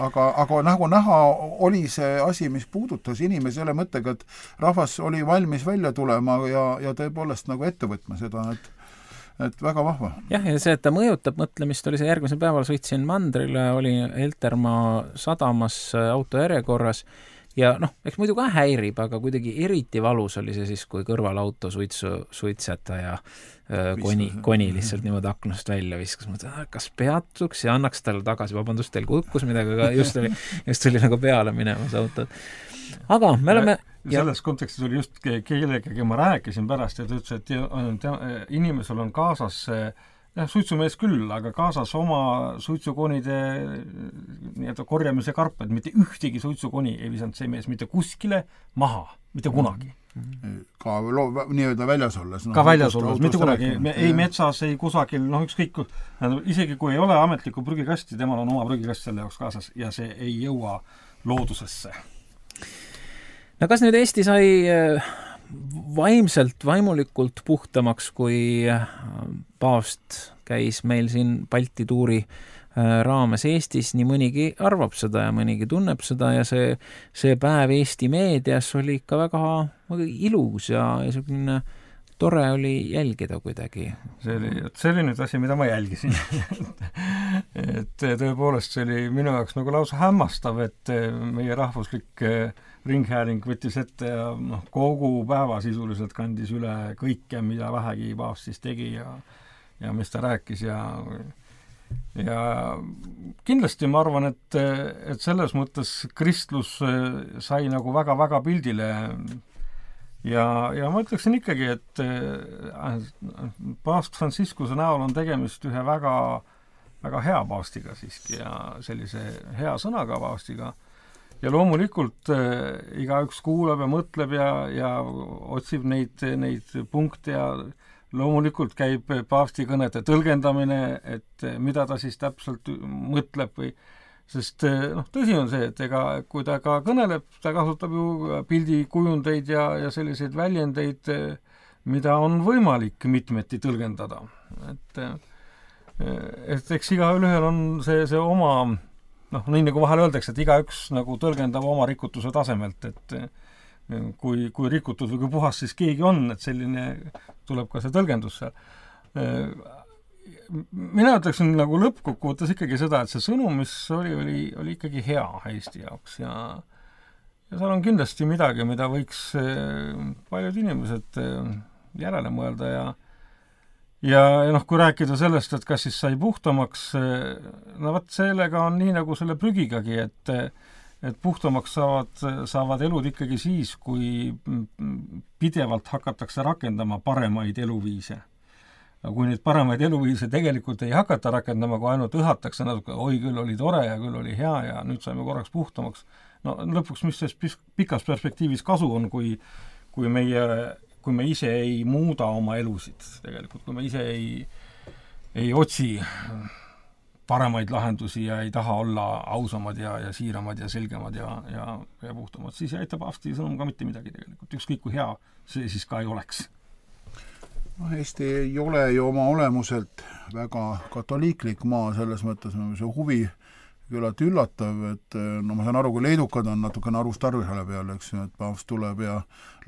aga nagu näha oli see asi, mis puudutas inimesi selle mõttega, et rahvas oli valmis välja tulema ja tõepoolest nagu ette võtma seda, et väga vahva. Jah, ja see, et ta mõjutab mõtlemist, oli see järgmisel päeval sõitsin mandrile, oli Heltermaa sadamas auto järjekorras ja eks muidu ka häirib, aga kuidagi eriti valus oli see siis, kui kõrvalauto suitsetaja koni lihtsalt niimoodi aknast välja viskas. Kas peatuks ja annaks talle tagasi, vabandust, teil kukkus midagi, aga just oli nagu peale minemas autod. Aga me oleme selles kontekstis oli just kellegagi ma rääkisin pärast ja ta ütles, et inimesel on kaasas suitsumees küll, aga kaasas oma suitsukonide korjamise karped, mitte ühtegi suitsukoni ei visanud see mees mitte kuskile maha, mitte kunagi. Ka nii-öelda väljas olles. Ka väljas olles, mitte kunagi. Ei metsas, ei kusagil, ükskõik, isegi kui ei ole ametlikku prügikasti, temal on oma prügikast selle jaoks kaasas ja see ei jõua loodusesse. No kas nüüd Eesti sai vaimulikult puhtamaks, kui paavst käis meil siin Balti tuuri raames Eestis, nii mõnigi arvab seda ja mõnigi tunneb seda ja see päev Eesti meedias oli ikka väga ilus ja selline tore oli jälgida kuidagi. See oli nüüd asi, mida ma jälgisin. Et tõepoolest see oli minu jaoks nagu lausa hämmastav, et meie rahvuslik ringhääling võttis ette ja kogu päeva sisuliselt kandis üle kõike, mida vähegi paavst siis tegi ja mis ta rääkis ja kindlasti ma arvan, et selles mõttes kristlus sai nagu väga-väga pildile ja ma ütleksin ikkagi, et paavst Franciscuse näol on tegemist ühe väga, väga hea paavstiga siiski ja sellise hea sõnaga paavstiga. Ja loomulikult igaüks kuulab ja mõtleb ja otsib neid punkte ja loomulikult käib paavsti kõnede tõlgendamine, et mida ta siis täpselt mõtleb või sest tõsi on see, et kui ta ka kõneleb, ta kasutab ju pildikujundeid ja selliseid väljendeid, mida on võimalik mitmeti tõlgendada. Et eks igaühel on see oma nii nagu vahel öeldakse, et igaüks nagu tõlgendab oma rikutuse tasemelt, et kui rikutud või kui puhas siis keegi on, et selline tuleb ka see tõlgendus seal. Mina ütleksin nagu lõppkokkuvõttes ikkagi seda, et see sõnum, mis oli ikkagi hea Eesti jaoks ja seal on kindlasti midagi, mida võiks paljud inimesed järele mõelda ja kui rääkida sellest, et kas siis sai puhtamaks, sellega on nii nagu selle prügigagi, et puhtamaks saavad elud ikkagi siis, kui pidevalt hakatakse rakendama paremaid eluviise. Kui neid paremaid eluviise tegelikult ei hakata rakendama, kui ainult õhatakse natuke, oi küll oli tore ja küll oli hea ja nüüd saime korraks puhtamaks. Lõpuks, mis selles pikas perspektiivis kasu on, kui me ise ei muuda oma elusid tegelikult, kui me ise ei otsi paremaid lahendusi ja ei taha olla ausamad ja siiramad ja selgemad ja puhtamad, siis ei aita paavsti sõnum ka mitte midagi tegelikult, ükskõik kui hea see siis ka ei oleks. Eesti ei ole ju oma olemuselt väga katoliiklik maa, selles mõttes see huvi küllalt üllatav, et ma saan aru, kui leedukad on natukene arust arvihale peal, eks ju, et paavst tuleb ja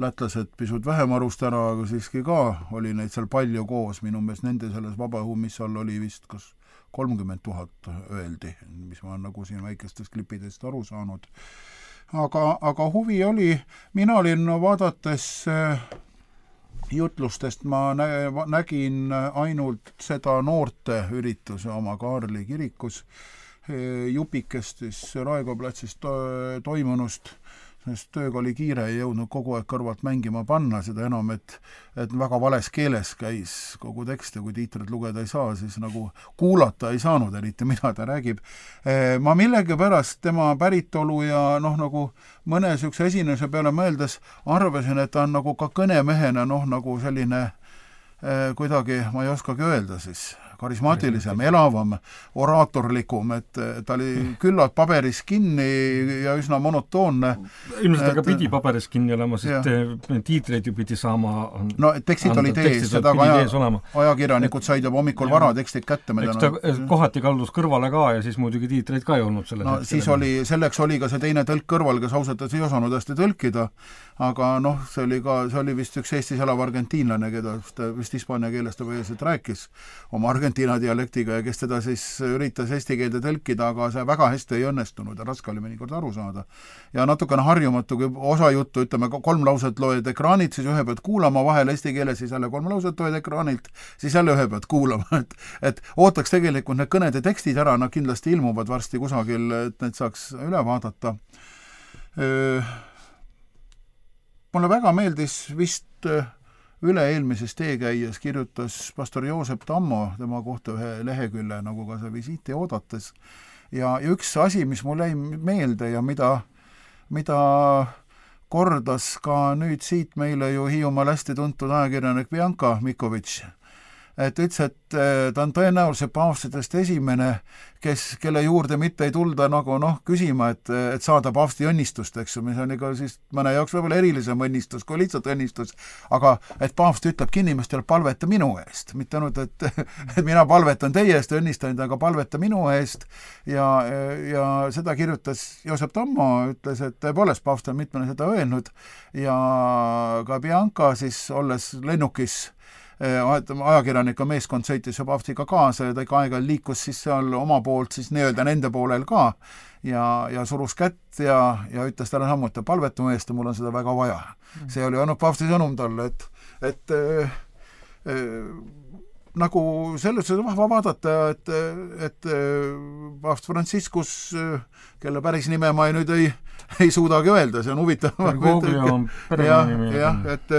lätlased pisut vähem arust ära, aga siiski ka oli neid seal palju koos, minu meelest nende selles vabaõhumissal oli vist kas 30 000 öeldi, mis ma nagu siin väikestest klipidest aru saanud. Aga huvi oli, mina olin vaadates jutlustest, ma nägin ainult seda noorte ürituse oma Kaarli kirikus, jupikest siis Raekoja platsist toimunust, sest tööga oli kiire, ei jõudnud kogu aeg kõrvalt mängima panna, seda enam, et väga vales keeles käis kogu tekst ja kui tiitrit lugeda ei saa, siis nagu kuulata ei saanud eriti, mida ta räägib. Ma millegipärast tema päritolu ja nagu mõne sükse esinuse peale mõeldes arvasin, et ta on nagu ka kõnemehena nagu selline kuidagi, ma ei oskagi öelda siis, karismaatilisem, elavam, oraatorlikum, et ta oli küllalt paberis kinni ja üsna monotoonne. Ilmselt aga pidi paberis kinni olema, sest tiitreid ju pidi saama. No tekstid olid ees, seda ajakirjanikud said juba hommikul vara tekstid kätte. Eks ta kohati kaldus kõrvale ka ja siis muidugi tiitreid ka ei olnud selle siis selleks oli ka see teine tõlk kõrval, kes ausalt ei osanud hästi tõlkida, aga see oli vist üks Eestis elav argentiinlane, keda vist hispaania keeles ta põhiliselt rääkis oma Argentiina dialektiga ja kes teda siis üritas eesti keelde tõlkida, aga see väga hästi ei õnnestunud ja raske oli mõnikord aru saada. Ja natukene harjumatu, kui osa juttu, ütleme 3 lauset loed ekraanilt, siis ühe pead kuulama, vahel eesti keeles, siis jälle 3 lauset loed ekraanilt, siis jälle ühe pead kuulama. Et ootaks tegelikult need kõnede tekstid ära, nad kindlasti ilmuvad varsti kusagil, et need saaks üle vaadata. Mulle väga meeldis vist üle-eelmises teekäies kirjutas pastor Joosep Tammo tema kohta ühe lehekülle nagu ka see visiiti oodates ja üks asi, mis mul jäi meelde ja mida kordas ka nüüd siit meile ju Hiiumaal hästi tuntud ajakirjanik Bianca Mikovitš, et ütles, et ta on tõenäoliselt paavstidest esimene, kelle juurde mitte ei tulda nagu küsima, et saada paavsti õnnistust, eks ju, mis on ikka siis mõne jaoks võib-olla erilisem õnnistus kui lihtsalt õnnistus, aga et paavst ütlebki inimestele, palveta minu eest, mitte ainult, et mina palvetan teie eest, õnnistan, aga palveta minu eest ja seda kirjutas Joosep Tammo, ütles, et tõepoolest paavst on mitmene seda öelnud ja ka Bianca siis olles lennukis ajakirjanika meeskond sõitis ja paavstiga kaasa ja ta ikka aega liikus siis seal oma poolt siis nii-öelda nende poolel ka ja surus kätt ja ütles talle samuti palvetama eest ja mul on seda väga vaja. See oli ainult paavsti sõnum talle, et nagu selles vahva vaadata, et paavst Franciscus, kelle päris nime ma nüüd ei suudagi öelda, see on huvitav. Jah, et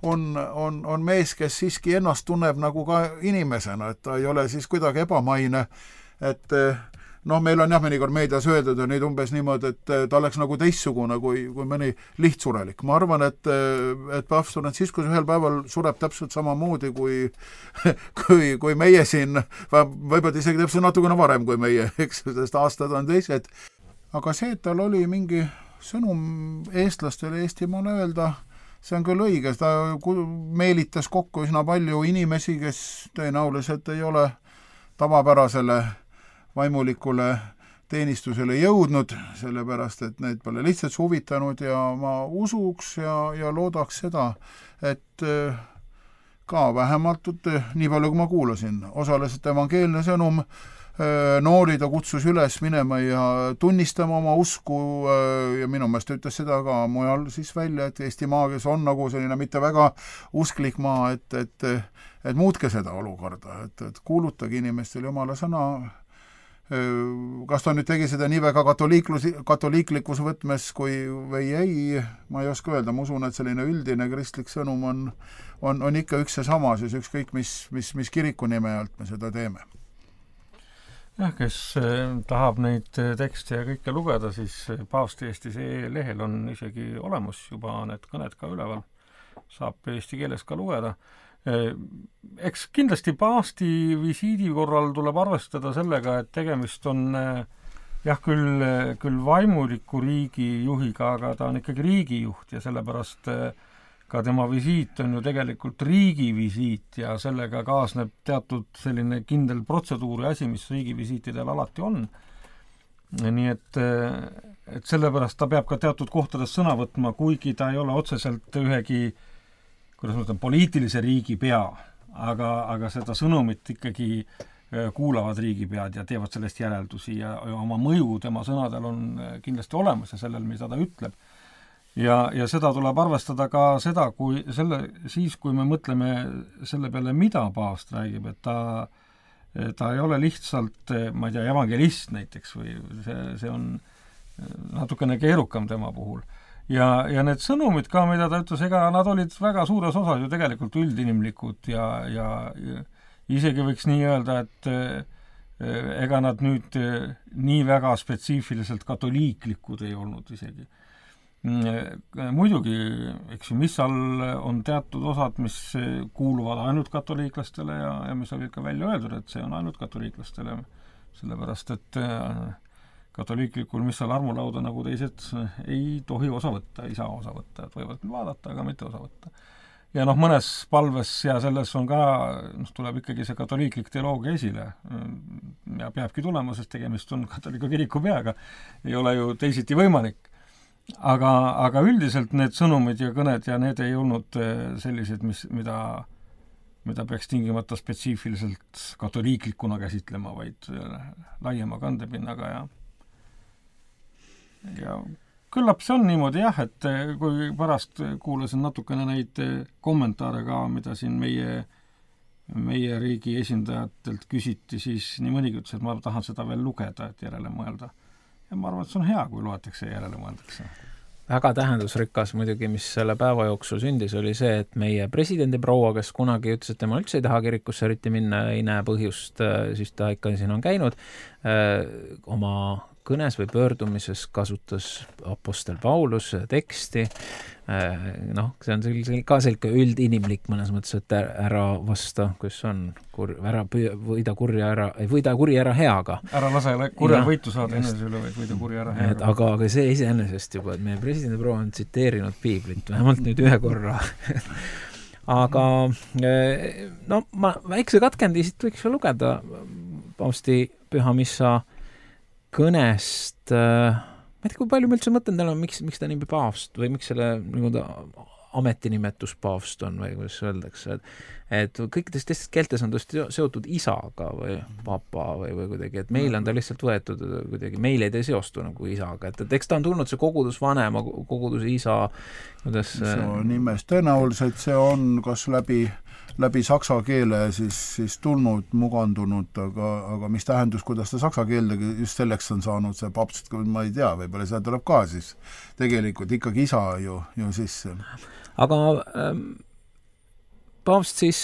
on mees, kes siiski ennast tunneb nagu ka inimesena, et ta ei ole siis kuidagi ebamaine, et meil on mõnikord meedias öeldud neid umbes niimoodi, et ta oleks nagu teistsugune kui mõni lihtsurelik. Ma arvan, et paavst Franciscus ühel päeval sureb täpselt samamoodi kui meie siin, võib-olla isegi täpselt natukene varem kui meie, eks, sest aastad on teised. Aga see, et tal oli mingi sõnum eestlastele Eestimaale öelda, see on küll õige, ta meelitas kokku üsna palju inimesi, kes tõenäoliselt ei ole tavapärasele vaimulikule teenistusele jõudnud, sellepärast, et need pole lihtsalt huvitanud ja ma usuks ja loodaks seda, et ka vähemalt, nii palju kui ma kuulasin, osales evangeelne sõnum, noori ta kutsus üles minema ja tunnistama oma usku ja minu meelest ütles seda ka mujal siis välja, et Eestimaa, kes on nagu selline mitte väga usklik maa, et muutke seda olukorda, et kuulutage inimestele Jumala sõna. Kas ta nüüd tegi seda nii väga katoliiklikus võtmes või ei, ma ei oska öelda, ma usun, et selline üldine kristlik sõnum on ikka üks ja sama, siis ükskõik mis kiriku nime alt me seda teeme. Jah, kes tahab neid tekste ja kõike lugeda, siis Paavsti Eesti lehel on isegi olemas juba need kõned ka üleval, saab eesti keeles ka lugeda. Eks kindlasti paavsti visiidi korral tuleb arvestada sellega, et tegemist on küll vaimuliku riigi juhiga, aga ta on ikkagi riigijuht ja sellepärast ka tema visiit on ju tegelikult riigivisiit ja sellega kaasneb teatud selline kindel protseduuri asi, mis riigivisiitidel alati on. Nii et sellepärast ta peab ka teatud kohtades sõna võtma, kuigi ta ei ole otseselt ühegi kuidas ma ütlen, poliitilise riigi pea, aga seda sõnumit ikkagi kuulavad riigipead ja teevad sellest järeldusi ja oma mõju tema sõnadel on kindlasti olemas ja sellel, mida ta ütleb. Ja seda tuleb arvestada ka seda, kui me mõtleme selle peale, mida paavst räägib, et ta ei ole lihtsalt, ma ei tea, evangelist näiteks või see on natukene keerukam tema puhul. Ja need sõnumid ka, mida ta ütles, ega nad olid väga suures osas ju tegelikult üldinimlikud ja isegi võiks nii öelda, et ega nad nüüd nii väga spetsiifiliselt katoliiklikud ei olnud isegi. Muidugi, eks ju, missal on teatud osad, mis kuuluvad ainult katoliiklastele ja mis olid ka välja öeldud, et see on ainult katoliiklastele, sellepärast et katoliiklikul missal armulauda nagu teised ei tohi osa võtta, ei saa osa võtta, et võivad vaadata, aga mitte osa võtta. Ja mõnes palves ja selles on ka, tuleb ikkagi see katoliiklik teoloogia esile ja peabki tulema, sest tegemist on katoliku kiriku peaga, ei ole ju teisiti võimalik. Aga üldiselt need sõnumid ja kõned ja need ei olnud sellised, mida peaks tingimata spetsiifiliselt katoliiklikuna käsitlema, vaid laiema kandepinnaga ja küllap see on niimoodi jah, et kui pärast kuulasin natukene neid kommentaare ka, mida siin meie riigi esindajatelt küsiti, siis nii mõnigi ütles, et ma tahan seda veel lugeda, et järele mõelda. Ja ma arvan, et see on hea, kui loetakse ja järele mõeldakse. Väga tähendusrikas muidugi, mis selle päeva jooksul sündis, oli see, et meie presidendi proua, kes kunagi ütles, et tema üldse ei taha kirikusse eriti minna, ei näe põhjust, siis ta ikka siin on käinud, oma kõnes või pöördumises kasutas apostel Paulus teksti, see on ka selline üldinimlik mõnes mõttes, et ära vasta, kus on, võida kuri ära heaga. Ära lase kurja võitu saada enese üle, vaid võida kuri ära heaga. Aga see iseenesest juba, et meie presidendi proua on tsiteerinud piiblit, vähemalt nüüd ühe korra. Aga ma väikse katkendist võiks ju lugeda paavsti pühamissa kõnest, ma ei tea, kui palju me üldse mõtlen täna, miks ta nimi paavst või miks selle ametinimetus paavst on või kuidas öeldakse, et kõikides teistes keeltes on tõesti seotud isaga või papa või kuidagi, et meil on ta lihtsalt võetud kuidagi, meil ei seostu nagu isaga, et eks ta on tulnud see kogudusvanema, koguduse isa, kuidas see on nimes, tõenäoliselt see on kas läbi läbi saksa keele siis tulnud, mugandunud, aga mis tähendus, kuidas ta saksa keeldegi just selleks on saanud see papst, ma ei tea, võib-olla see tuleb ka siis tegelikult ikkagi isa ju sisse. Aga paavst siis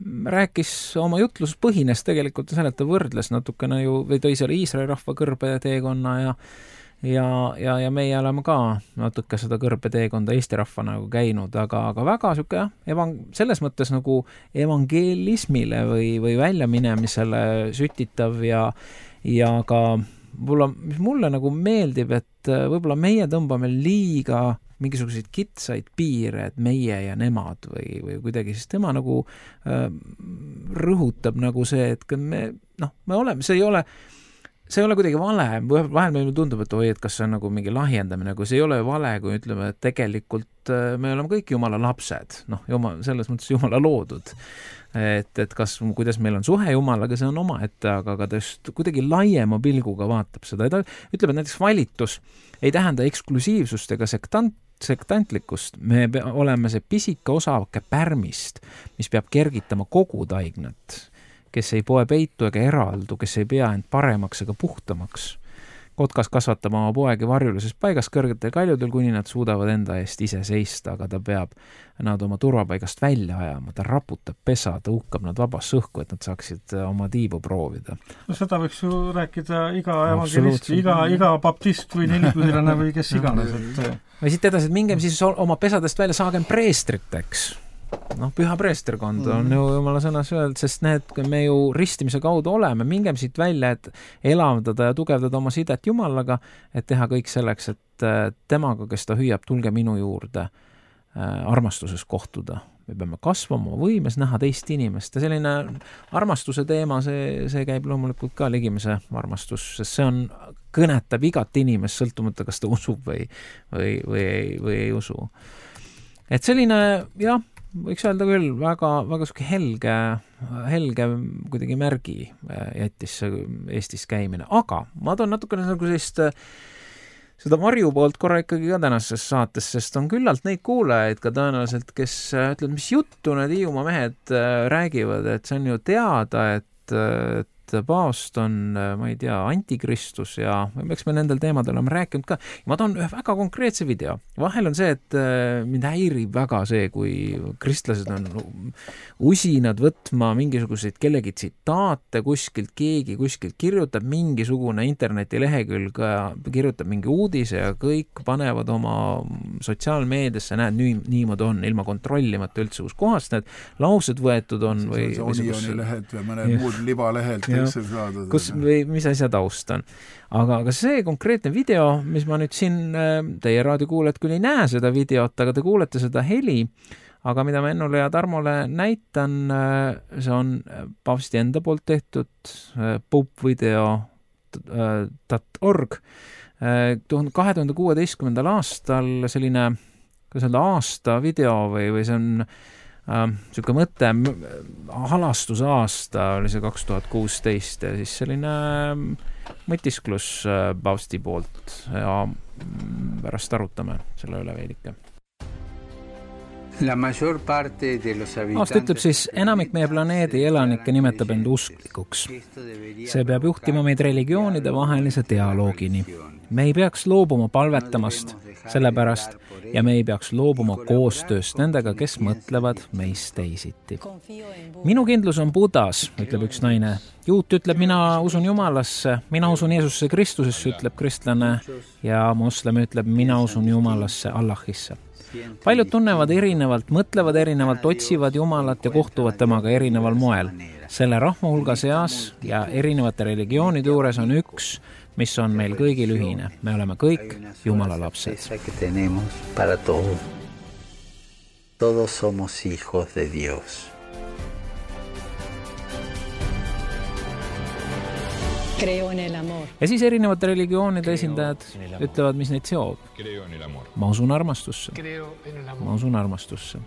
rääkis oma jutlus põhines tegelikult selle, et ta võrdles natukene ju, või tõi selle Iisraeli rahva kõrbeteekonna ja meie oleme ka natuke seda kõrbeteekonda Eesti rahva nagu käinud, aga väga süke selles mõttes nagu evangelismile või väljaminemisele sütitav ja ka mis mulle nagu meeldib, et võib-olla meie tõmbame liiga mingisuguseid kitsaid piire, et meie ja nemad või kuidagi, siis tema nagu rõhutab nagu see, et me oleme, see ei ole kuidagi vale, vahel meile tundub, et kas see on nagu mingi lahjendamine, kui see ei ole vale, kui ütleme, et tegelikult me oleme kõik Jumala lapsed, selles mõttes Jumala loodud. Et kuidas meil on suhe Jumalaga, see on omaette, aga ta just kuidagi laiema pilguga vaatab seda. Ta ütleb, et näiteks valitus ei tähenda eksklusiivsust ega sektantlikkust. Me oleme see pisike osake pärmist, mis peab kergitama kogu taignat, kes ei poe peitu ega eraldu, kes ei pea end paremaks ega puhtamaks. Kotkas kasvatab oma poegi varjulises paigas kõrgetel kaljudel, kuni nad suudavad enda eest ise seista, aga ta peab nad oma turvapaigast välja ajama, ta raputab pesa, ta uhkab nad vabasse õhku, et nad saaksid oma tiibu proovida. No seda võiks ju rääkida iga evangelist, iga baptist või nelikühilane või kes iganes. Või siit edasi, et mingem siis oma pesadest välja, saagem preestriteks. Püha preesterkond on ju Jumala sõnas öeldud, sest me ju ristimise kaudu oleme, mingem siit välja, et elavdada ja tugevdada oma sidet Jumalaga, et teha kõik selleks, et temaga, kes ta hüüab, tulge minu juurde armastuses kohtuda. Me peame kasvama võimes näha teist inimest ja selline armastuse teema, see käib loomulikult ka ligimese armastus, sest see kõnetab igat inimest, sõltumata kas ta usub või ei usu. Et selline, jah, võiks öelda küll, väga suke helge kuidagi märgi jättis Eestis käimine, aga ma toon natukene nagu seda varju poolt korra ikkagi ka tänases saates, sest on küllalt neid kuulajaid ka tõenäoliselt, kes ütleb, mis juttu need Hiiumaa mehed räägivad, et see on ju teada, et paavst on, ma ei tea, antikristus ja eks me nendel teemadel oleme rääkinud ka. Ma toon ühe väga konkreetse video. Vahel on see, et mind häirib väga see, kui kristlased on usinad võtma mingisuguseid kellegi tsitaate kuskilt, keegi kuskilt kirjutab mingisugune internetilehekülg, kirjutab mingi uudise ja kõik panevad oma sotsiaalmeediasse, näed, niimoodi on, ilma kontrollimata üldse, kus kohast need laused võetud on. See Onioni lehed või mõne muud libalehelt. Mis asja taust on. Aga see konkreetne video, mis ma nüüd siin, teie raadiokuulajad küll ei näe seda videot, aga te kuulete seda heli, aga mida ma Ennule ja Tarmole näitan, see on paavsti enda poolt tehtud popvideo.org 2016. aastal selline, kuidas öelda, aasta video või see on selline mõte, halastusaasta oli see 2016 ja siis selline mõtisklus paavsti poolt ja pärast arutame selle üle veidike. Aast ütleb siis, enamik meie planeedi elanikke nimetab end usklikuks. See peab juhtima meid religioonide vahelise dialoogini. Me ei peaks loobuma palvetamast, sellepärast, ja me ei peaks loobuma koostööst nendega, kes mõtlevad meist teisiti. Minu kindlus on Budas, ütleb üks naine. Juut ütleb, mina usun Jumalasse, mina usun Jeesusse Kristusesse, ütleb kristlane, ja moslem ütleb, mina usun Jumalasse, Allahisse. Paljud tunnevad erinevalt, mõtlevad erinevalt, otsivad Jumalat ja kohtuvad temaga erineval moel. Selle rahva hulga seas ja erinevate religioonide juures on üks, mis on meil kõigil ühine. Me oleme kõik Jumala lapsed. Todos somos hijos de Dios. Ja siis erinevate religioonide esindajad ütlevad, mis neid seob. Ma usun armastusse. Ma usun armastusse.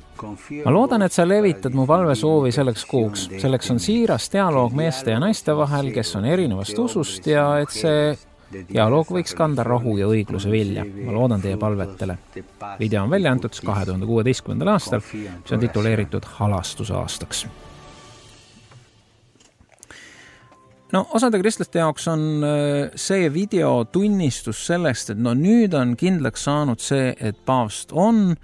Ma loodan, et sa levitad mu palvesoovi selleks kuuks. Selleks on siiras dialoog meeste ja naiste vahel, kes on erinevast usust ja et see Dialoog võiks kanda rahu ja õigluse vilja. Ma loodan teie palvetele. Video on välja antud 2016. aastal, mis on tituleeritud halastusaastaks. No, osade kristlaste jaoks on see video tunnistus sellest, et nüüd on kindlaks saanud see, et paavst on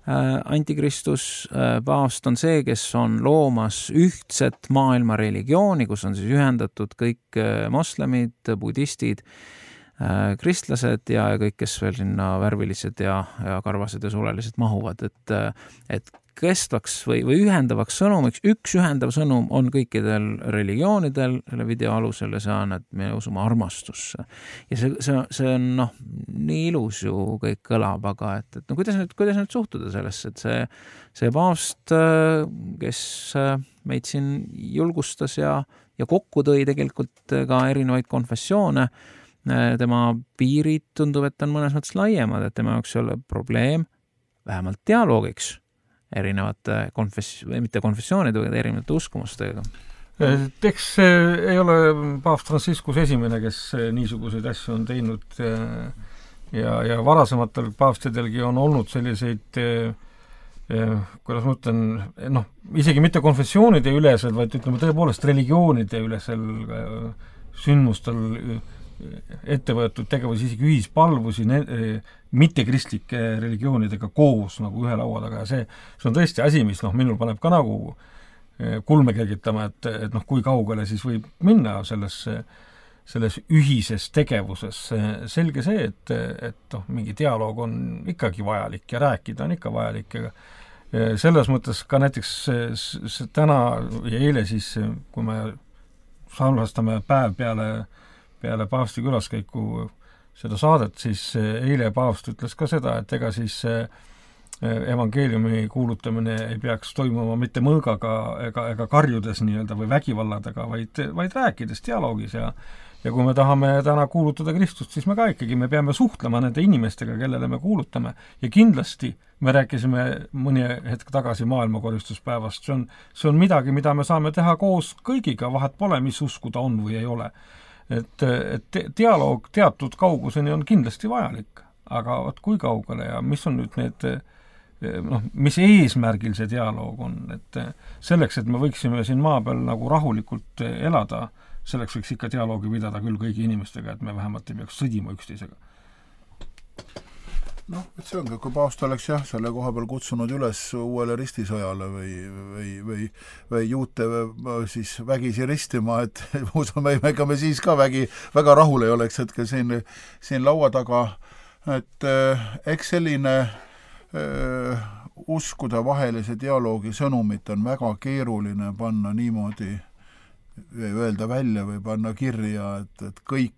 antikristus. Paavst on see, kes on loomas ühtset maailma religiooni, kus on siis ühendatud kõik moslemid, budistid, kristlased ja kõik, kes veel sinna värvilised ja karvased ja sulelised mahuvad. Et kestvaks või ühendavaks sõnumiks, üks ühendav sõnum on kõikidel religioonidel selle video alusel ja see on, et me usume armastusse. Ja see on nii ilus ju kõik kõlab, aga et kuidas nüüd suhtuda sellesse, et see paavst, kes meid siin julgustas ja kokku tõi tegelikult ka erinevaid konfessioone, tema piirid tundub, et on mõnes mõttes laiemad, et tema jaoks ei ole probleem vähemalt dialoogiks erinevate mitte konfessioonide, vaid erinevate uskumustega. Eks ei ole paavst Franciscus esimene, kes niisuguseid asju on teinud ja varasematel paavstidelgi on olnud selliseid, kuidas ma ütlen, isegi mitte konfessioonide ülesel, vaid ütleme tõepoolest religioonide ülesel sündmustel ette võetud tegevus, isegi ühispalvusi mittekristlike religioonidega koos nagu ühe laua taga ja see on tõesti asi, mis minul paneb ka nagu kulme kergitama, et kui kaugele siis võib minna selles ühises tegevuses. Selge see, et mingi dialoog on ikkagi vajalik ja rääkida on ikka vajalik ja selles mõttes ka näiteks täna ja eile siis, kui me salvestame päev peale paavsti külaskäiku seda saadet, siis eile paavst ütles ka seda, et ega siis evangeeliumi kuulutamine ei peaks toimuma mitte mõõgaga ega karjudes nii-öelda või vägivalladega, vaid rääkides dialoogis ja kui me tahame täna kuulutada Kristust, siis me peame suhtlema nende inimestega, kellele me kuulutame ja kindlasti me rääkisime mõni hetk tagasi maailmakoristuspäevast, see on midagi, mida me saame teha koos kõigiga, vahet pole, mis usku ta on või ei ole. Et dialoog teatud kauguseni on kindlasti vajalik, aga kui kaugele ja mis on nüüd need, mis eesmärgil see dialoog on, et selleks, et me võiksime siin maa peal nagu rahulikult elada, selleks võiks ikka dialoogi pidada küll kõigi inimestega, et me vähemalt ei peaks sõdima üksteisega. Et see ongi, kui paavst oleks selle koha peal kutsunud üles uuele ristisõjale või juute siis vägisi ristima, et usume, ega me siis ka väga rahul ei oleks hetkel siin laua taga, et eks selline uskuda vahelise dialoogi sõnumit on väga keeruline panna niimoodi, öelda välja või panna kirja, et kõik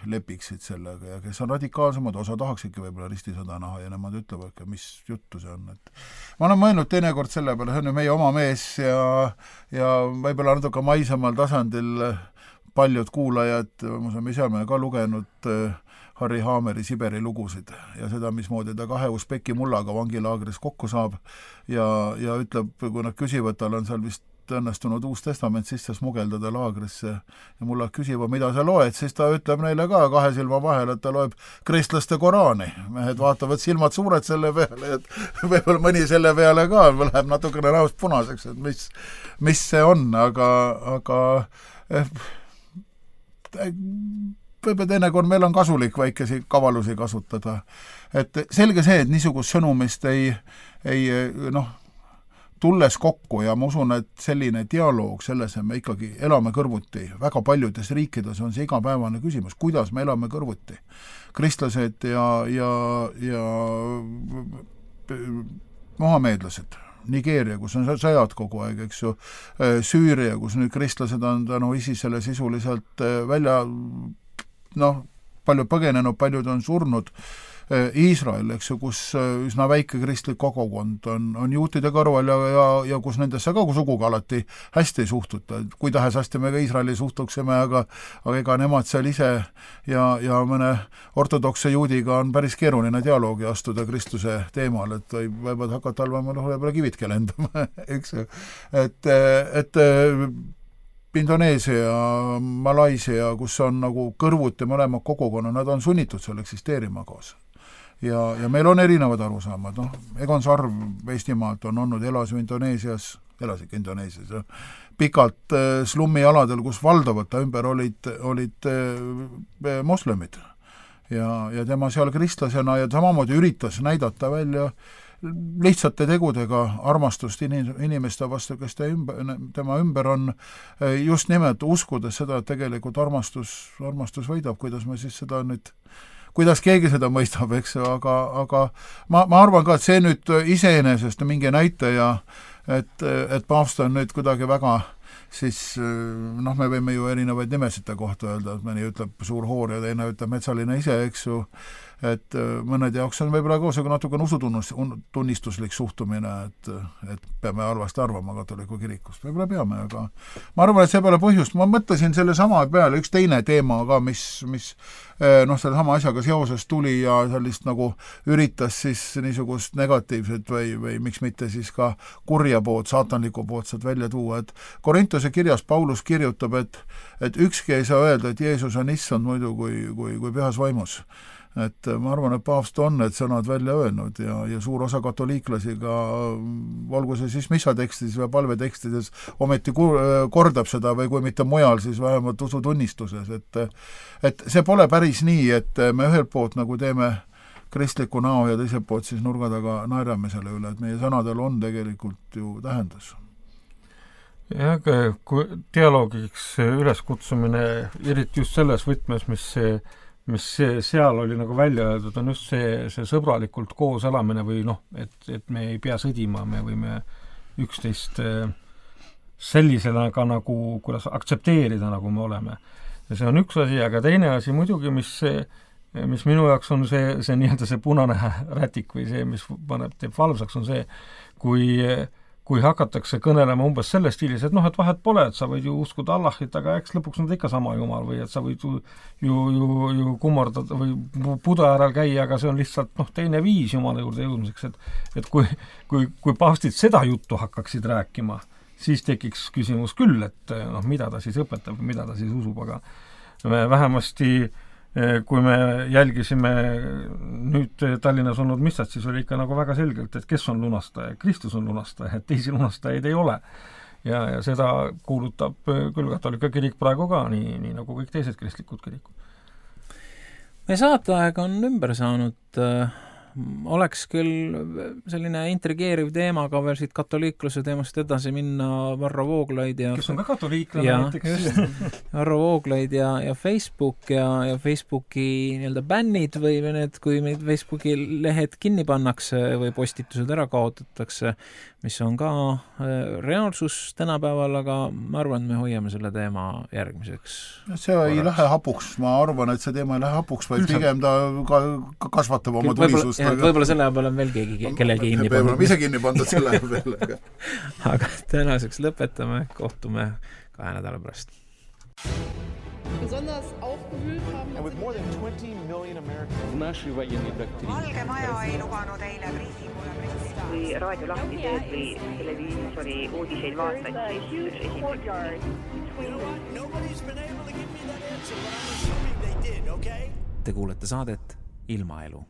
lepiksid sellega ja kes on radikaalsemad, osa tahaksidki võib-olla ristisõda näha ja nemad ütlevad, mis juttu see on. Et ma olen mõelnud teinekord selle peale, see on ju meie oma mees ja võib-olla natuke maisemal tasandil paljud kuulajad, me oleme ka lugenud Harry Haameri Siberi lugusid ja seda, mismoodi ta 2 usbeki mullaga vangilaagris kokku saab ja ütleb, kui nad küsivad, tal on seal vist õnnestunud Uus Testament sisse smugeldada laagrisse ja mulle küsivad, mida sa loed, siis ta ütleb neile ka 2 silma vahel, et ta loeb kristlaste Koraani. Mehed vaatavad silmad suured selle peale, et võib-olla mõni selle peale ka läheb natukene näost punaseks, et mis see on, aga võib-olla teinekord meil on kasulik väikesi kavalusi kasutada. Et selge see, et niisugust sõnumist ei tulles kokku ja ma usun, et selline dialoog selles, et me ikkagi elame kõrvuti. Väga paljudes riikides on see igapäevane küsimus, kuidas me elame kõrvuti. Kristlased ja mohameedlased. Nigeeria, kus on sõjad kogu aeg, eks ju. Süüria, kus nüüd kristlased on tänu ISISele sisuliselt välja, palju põgenenud, paljud on surnud. Iisrael, eks ju, kus üsna väike kristlik kogukond on juutide kõrval ja kus nendesse ka suguga alati hästi ei suhtuta. Kui tahes hästi me ka Iisraeli suhtuksime, aga ega nemad seal ise ja mõne ortodokse juudiga on päris keeruline dialoogi astuda Kristuse teemal, et võivad hakata halvama võib-olla kividki lendama, eks ju. Et Indoneesia, Malaisia, kus on nagu kõrvuti mõlemad kogukonna, nad on sunnitud seal eksisteerima koos. Ja meil on erinevad arusaamad, Egon Sarv Eestimaalt on olnud, elasigi Indoneesias, pikalt slummialadel, kus valdavalt ta ümber olid moslemid. Ja tema seal kristlasena ja samamoodi üritas näidata välja lihtsate tegudega armastust inimeste vastu, kes tema ümber on, just nimelt uskudes seda, et tegelikult armastus võidab, kuidas me siis seda nüüd, kuidas keegi seda mõistab, eks, aga ma arvan ka, et see nüüd iseenesest mingi näitaja, et paavst on nüüd kuidagi väga siis me võime ju erinevaid nimesite kohta öelda, et mõni ütleb suur hoor ja teine ütleb metsaline ise, eks ju, et mõned jaoks on võib-olla koosega natuke usutunnistuslik suhtumine, et peame halvasti arvama katoliku kirikust. Võib-olla peame, aga ma arvan, et see pole põhjust. Ma mõtlesin selle sama peale üks teine teema ka, mis selle sama asjaga seoses tuli ja sellist nagu üritas siis niisugust negatiivset või miks mitte siis ka kurja poolt, saatanliku poolt sealt välja tuua, et Korintuse kirjas Paulus kirjutab, et ükski ei saa öelda, et Jeesus on issand muidu kui pühas vaimus. Et ma arvan, et paavst on need sõnad välja öelnud ja suur osa katoliiklasi ka, olgu see siis missatekstides või palvetekstides, ometi kordab seda või kui mitte mujal, siis vähemalt usutunnistuses, et see pole päris nii, et me ühelt poolt nagu teeme kristliku näo ja teiselt poolt siis nurga taga naerame selle üle, et meie sõnadel on tegelikult ju tähendus. Jah, kui dialoogiks üleskutsumine, eriti just selles võtmes, mis seal oli nagu välja öeldud, on just see sõbralikult koos elamine või et me ei pea sõdima, me võime üksteist sellisena ka nagu, kuidas aktsepteerida, nagu me oleme. Ja see on üks asi, aga teine asi muidugi, mis minu jaoks on see nii-öelda see punane rätik või see, mis teeb valvsaks, on see, kui hakatakse kõnelema umbes selles stiilis, et et vahet pole, et sa võid ju uskuda Allahit, aga eks lõpuks on ta ikka sama jumal või et sa võid ju kummardada või Buda järel käia, aga see on lihtsalt teine viis jumala juurde jõudmiseks, et kui paavstid seda juttu hakkaksid rääkima, siis tekiks küsimus küll, et mida ta siis õpetab, mida ta siis usub, aga me vähemasti kui me jälgisime nüüd Tallinnas olnud missat, siis oli ikka nagu väga selgelt, et kes on lunastaja, Kristus on lunastaja, et teisi lunastajaid ei ole. Ja seda kuulutab küll katolika kirik praegu ka, nii nagu kõik teised kristlikud kirikud. Meie saateaeg on ümber saanud. Oleks küll selline intrigeeriv teema ka veel siit katoliikluse teemast edasi minna, Varro Vooglaid ja kes on ka katoliiklane näiteks. Varro Vooglaid ja Facebook ja Facebooki nii-öelda bännid või need, kui meid Facebooki lehed kinni pannakse või postitused ära kaotatakse, mis on ka reaalsus tänapäeval, aga ma arvan, et me hoiame selle teema järgmiseks. See ei lähe hapuks, ma arvan, et see teema ei lähe hapuks, vaid pigem ta kasvatab oma tulisust. Võib-olla selle peale on veel kellelgi kinni pandud. Ise kinni pandud selle peale. Aga tänaseks lõpetame, kohtume 2 nädala pärast. Besonders aufgewühlt haben. And with more than 20 million Americans. Valge Maja ei lubanud eile briifinguja kui raadio lahti teed või televiisori uudiseid vaatad, siis esimene. Te kuulete saadet Ilmaelu.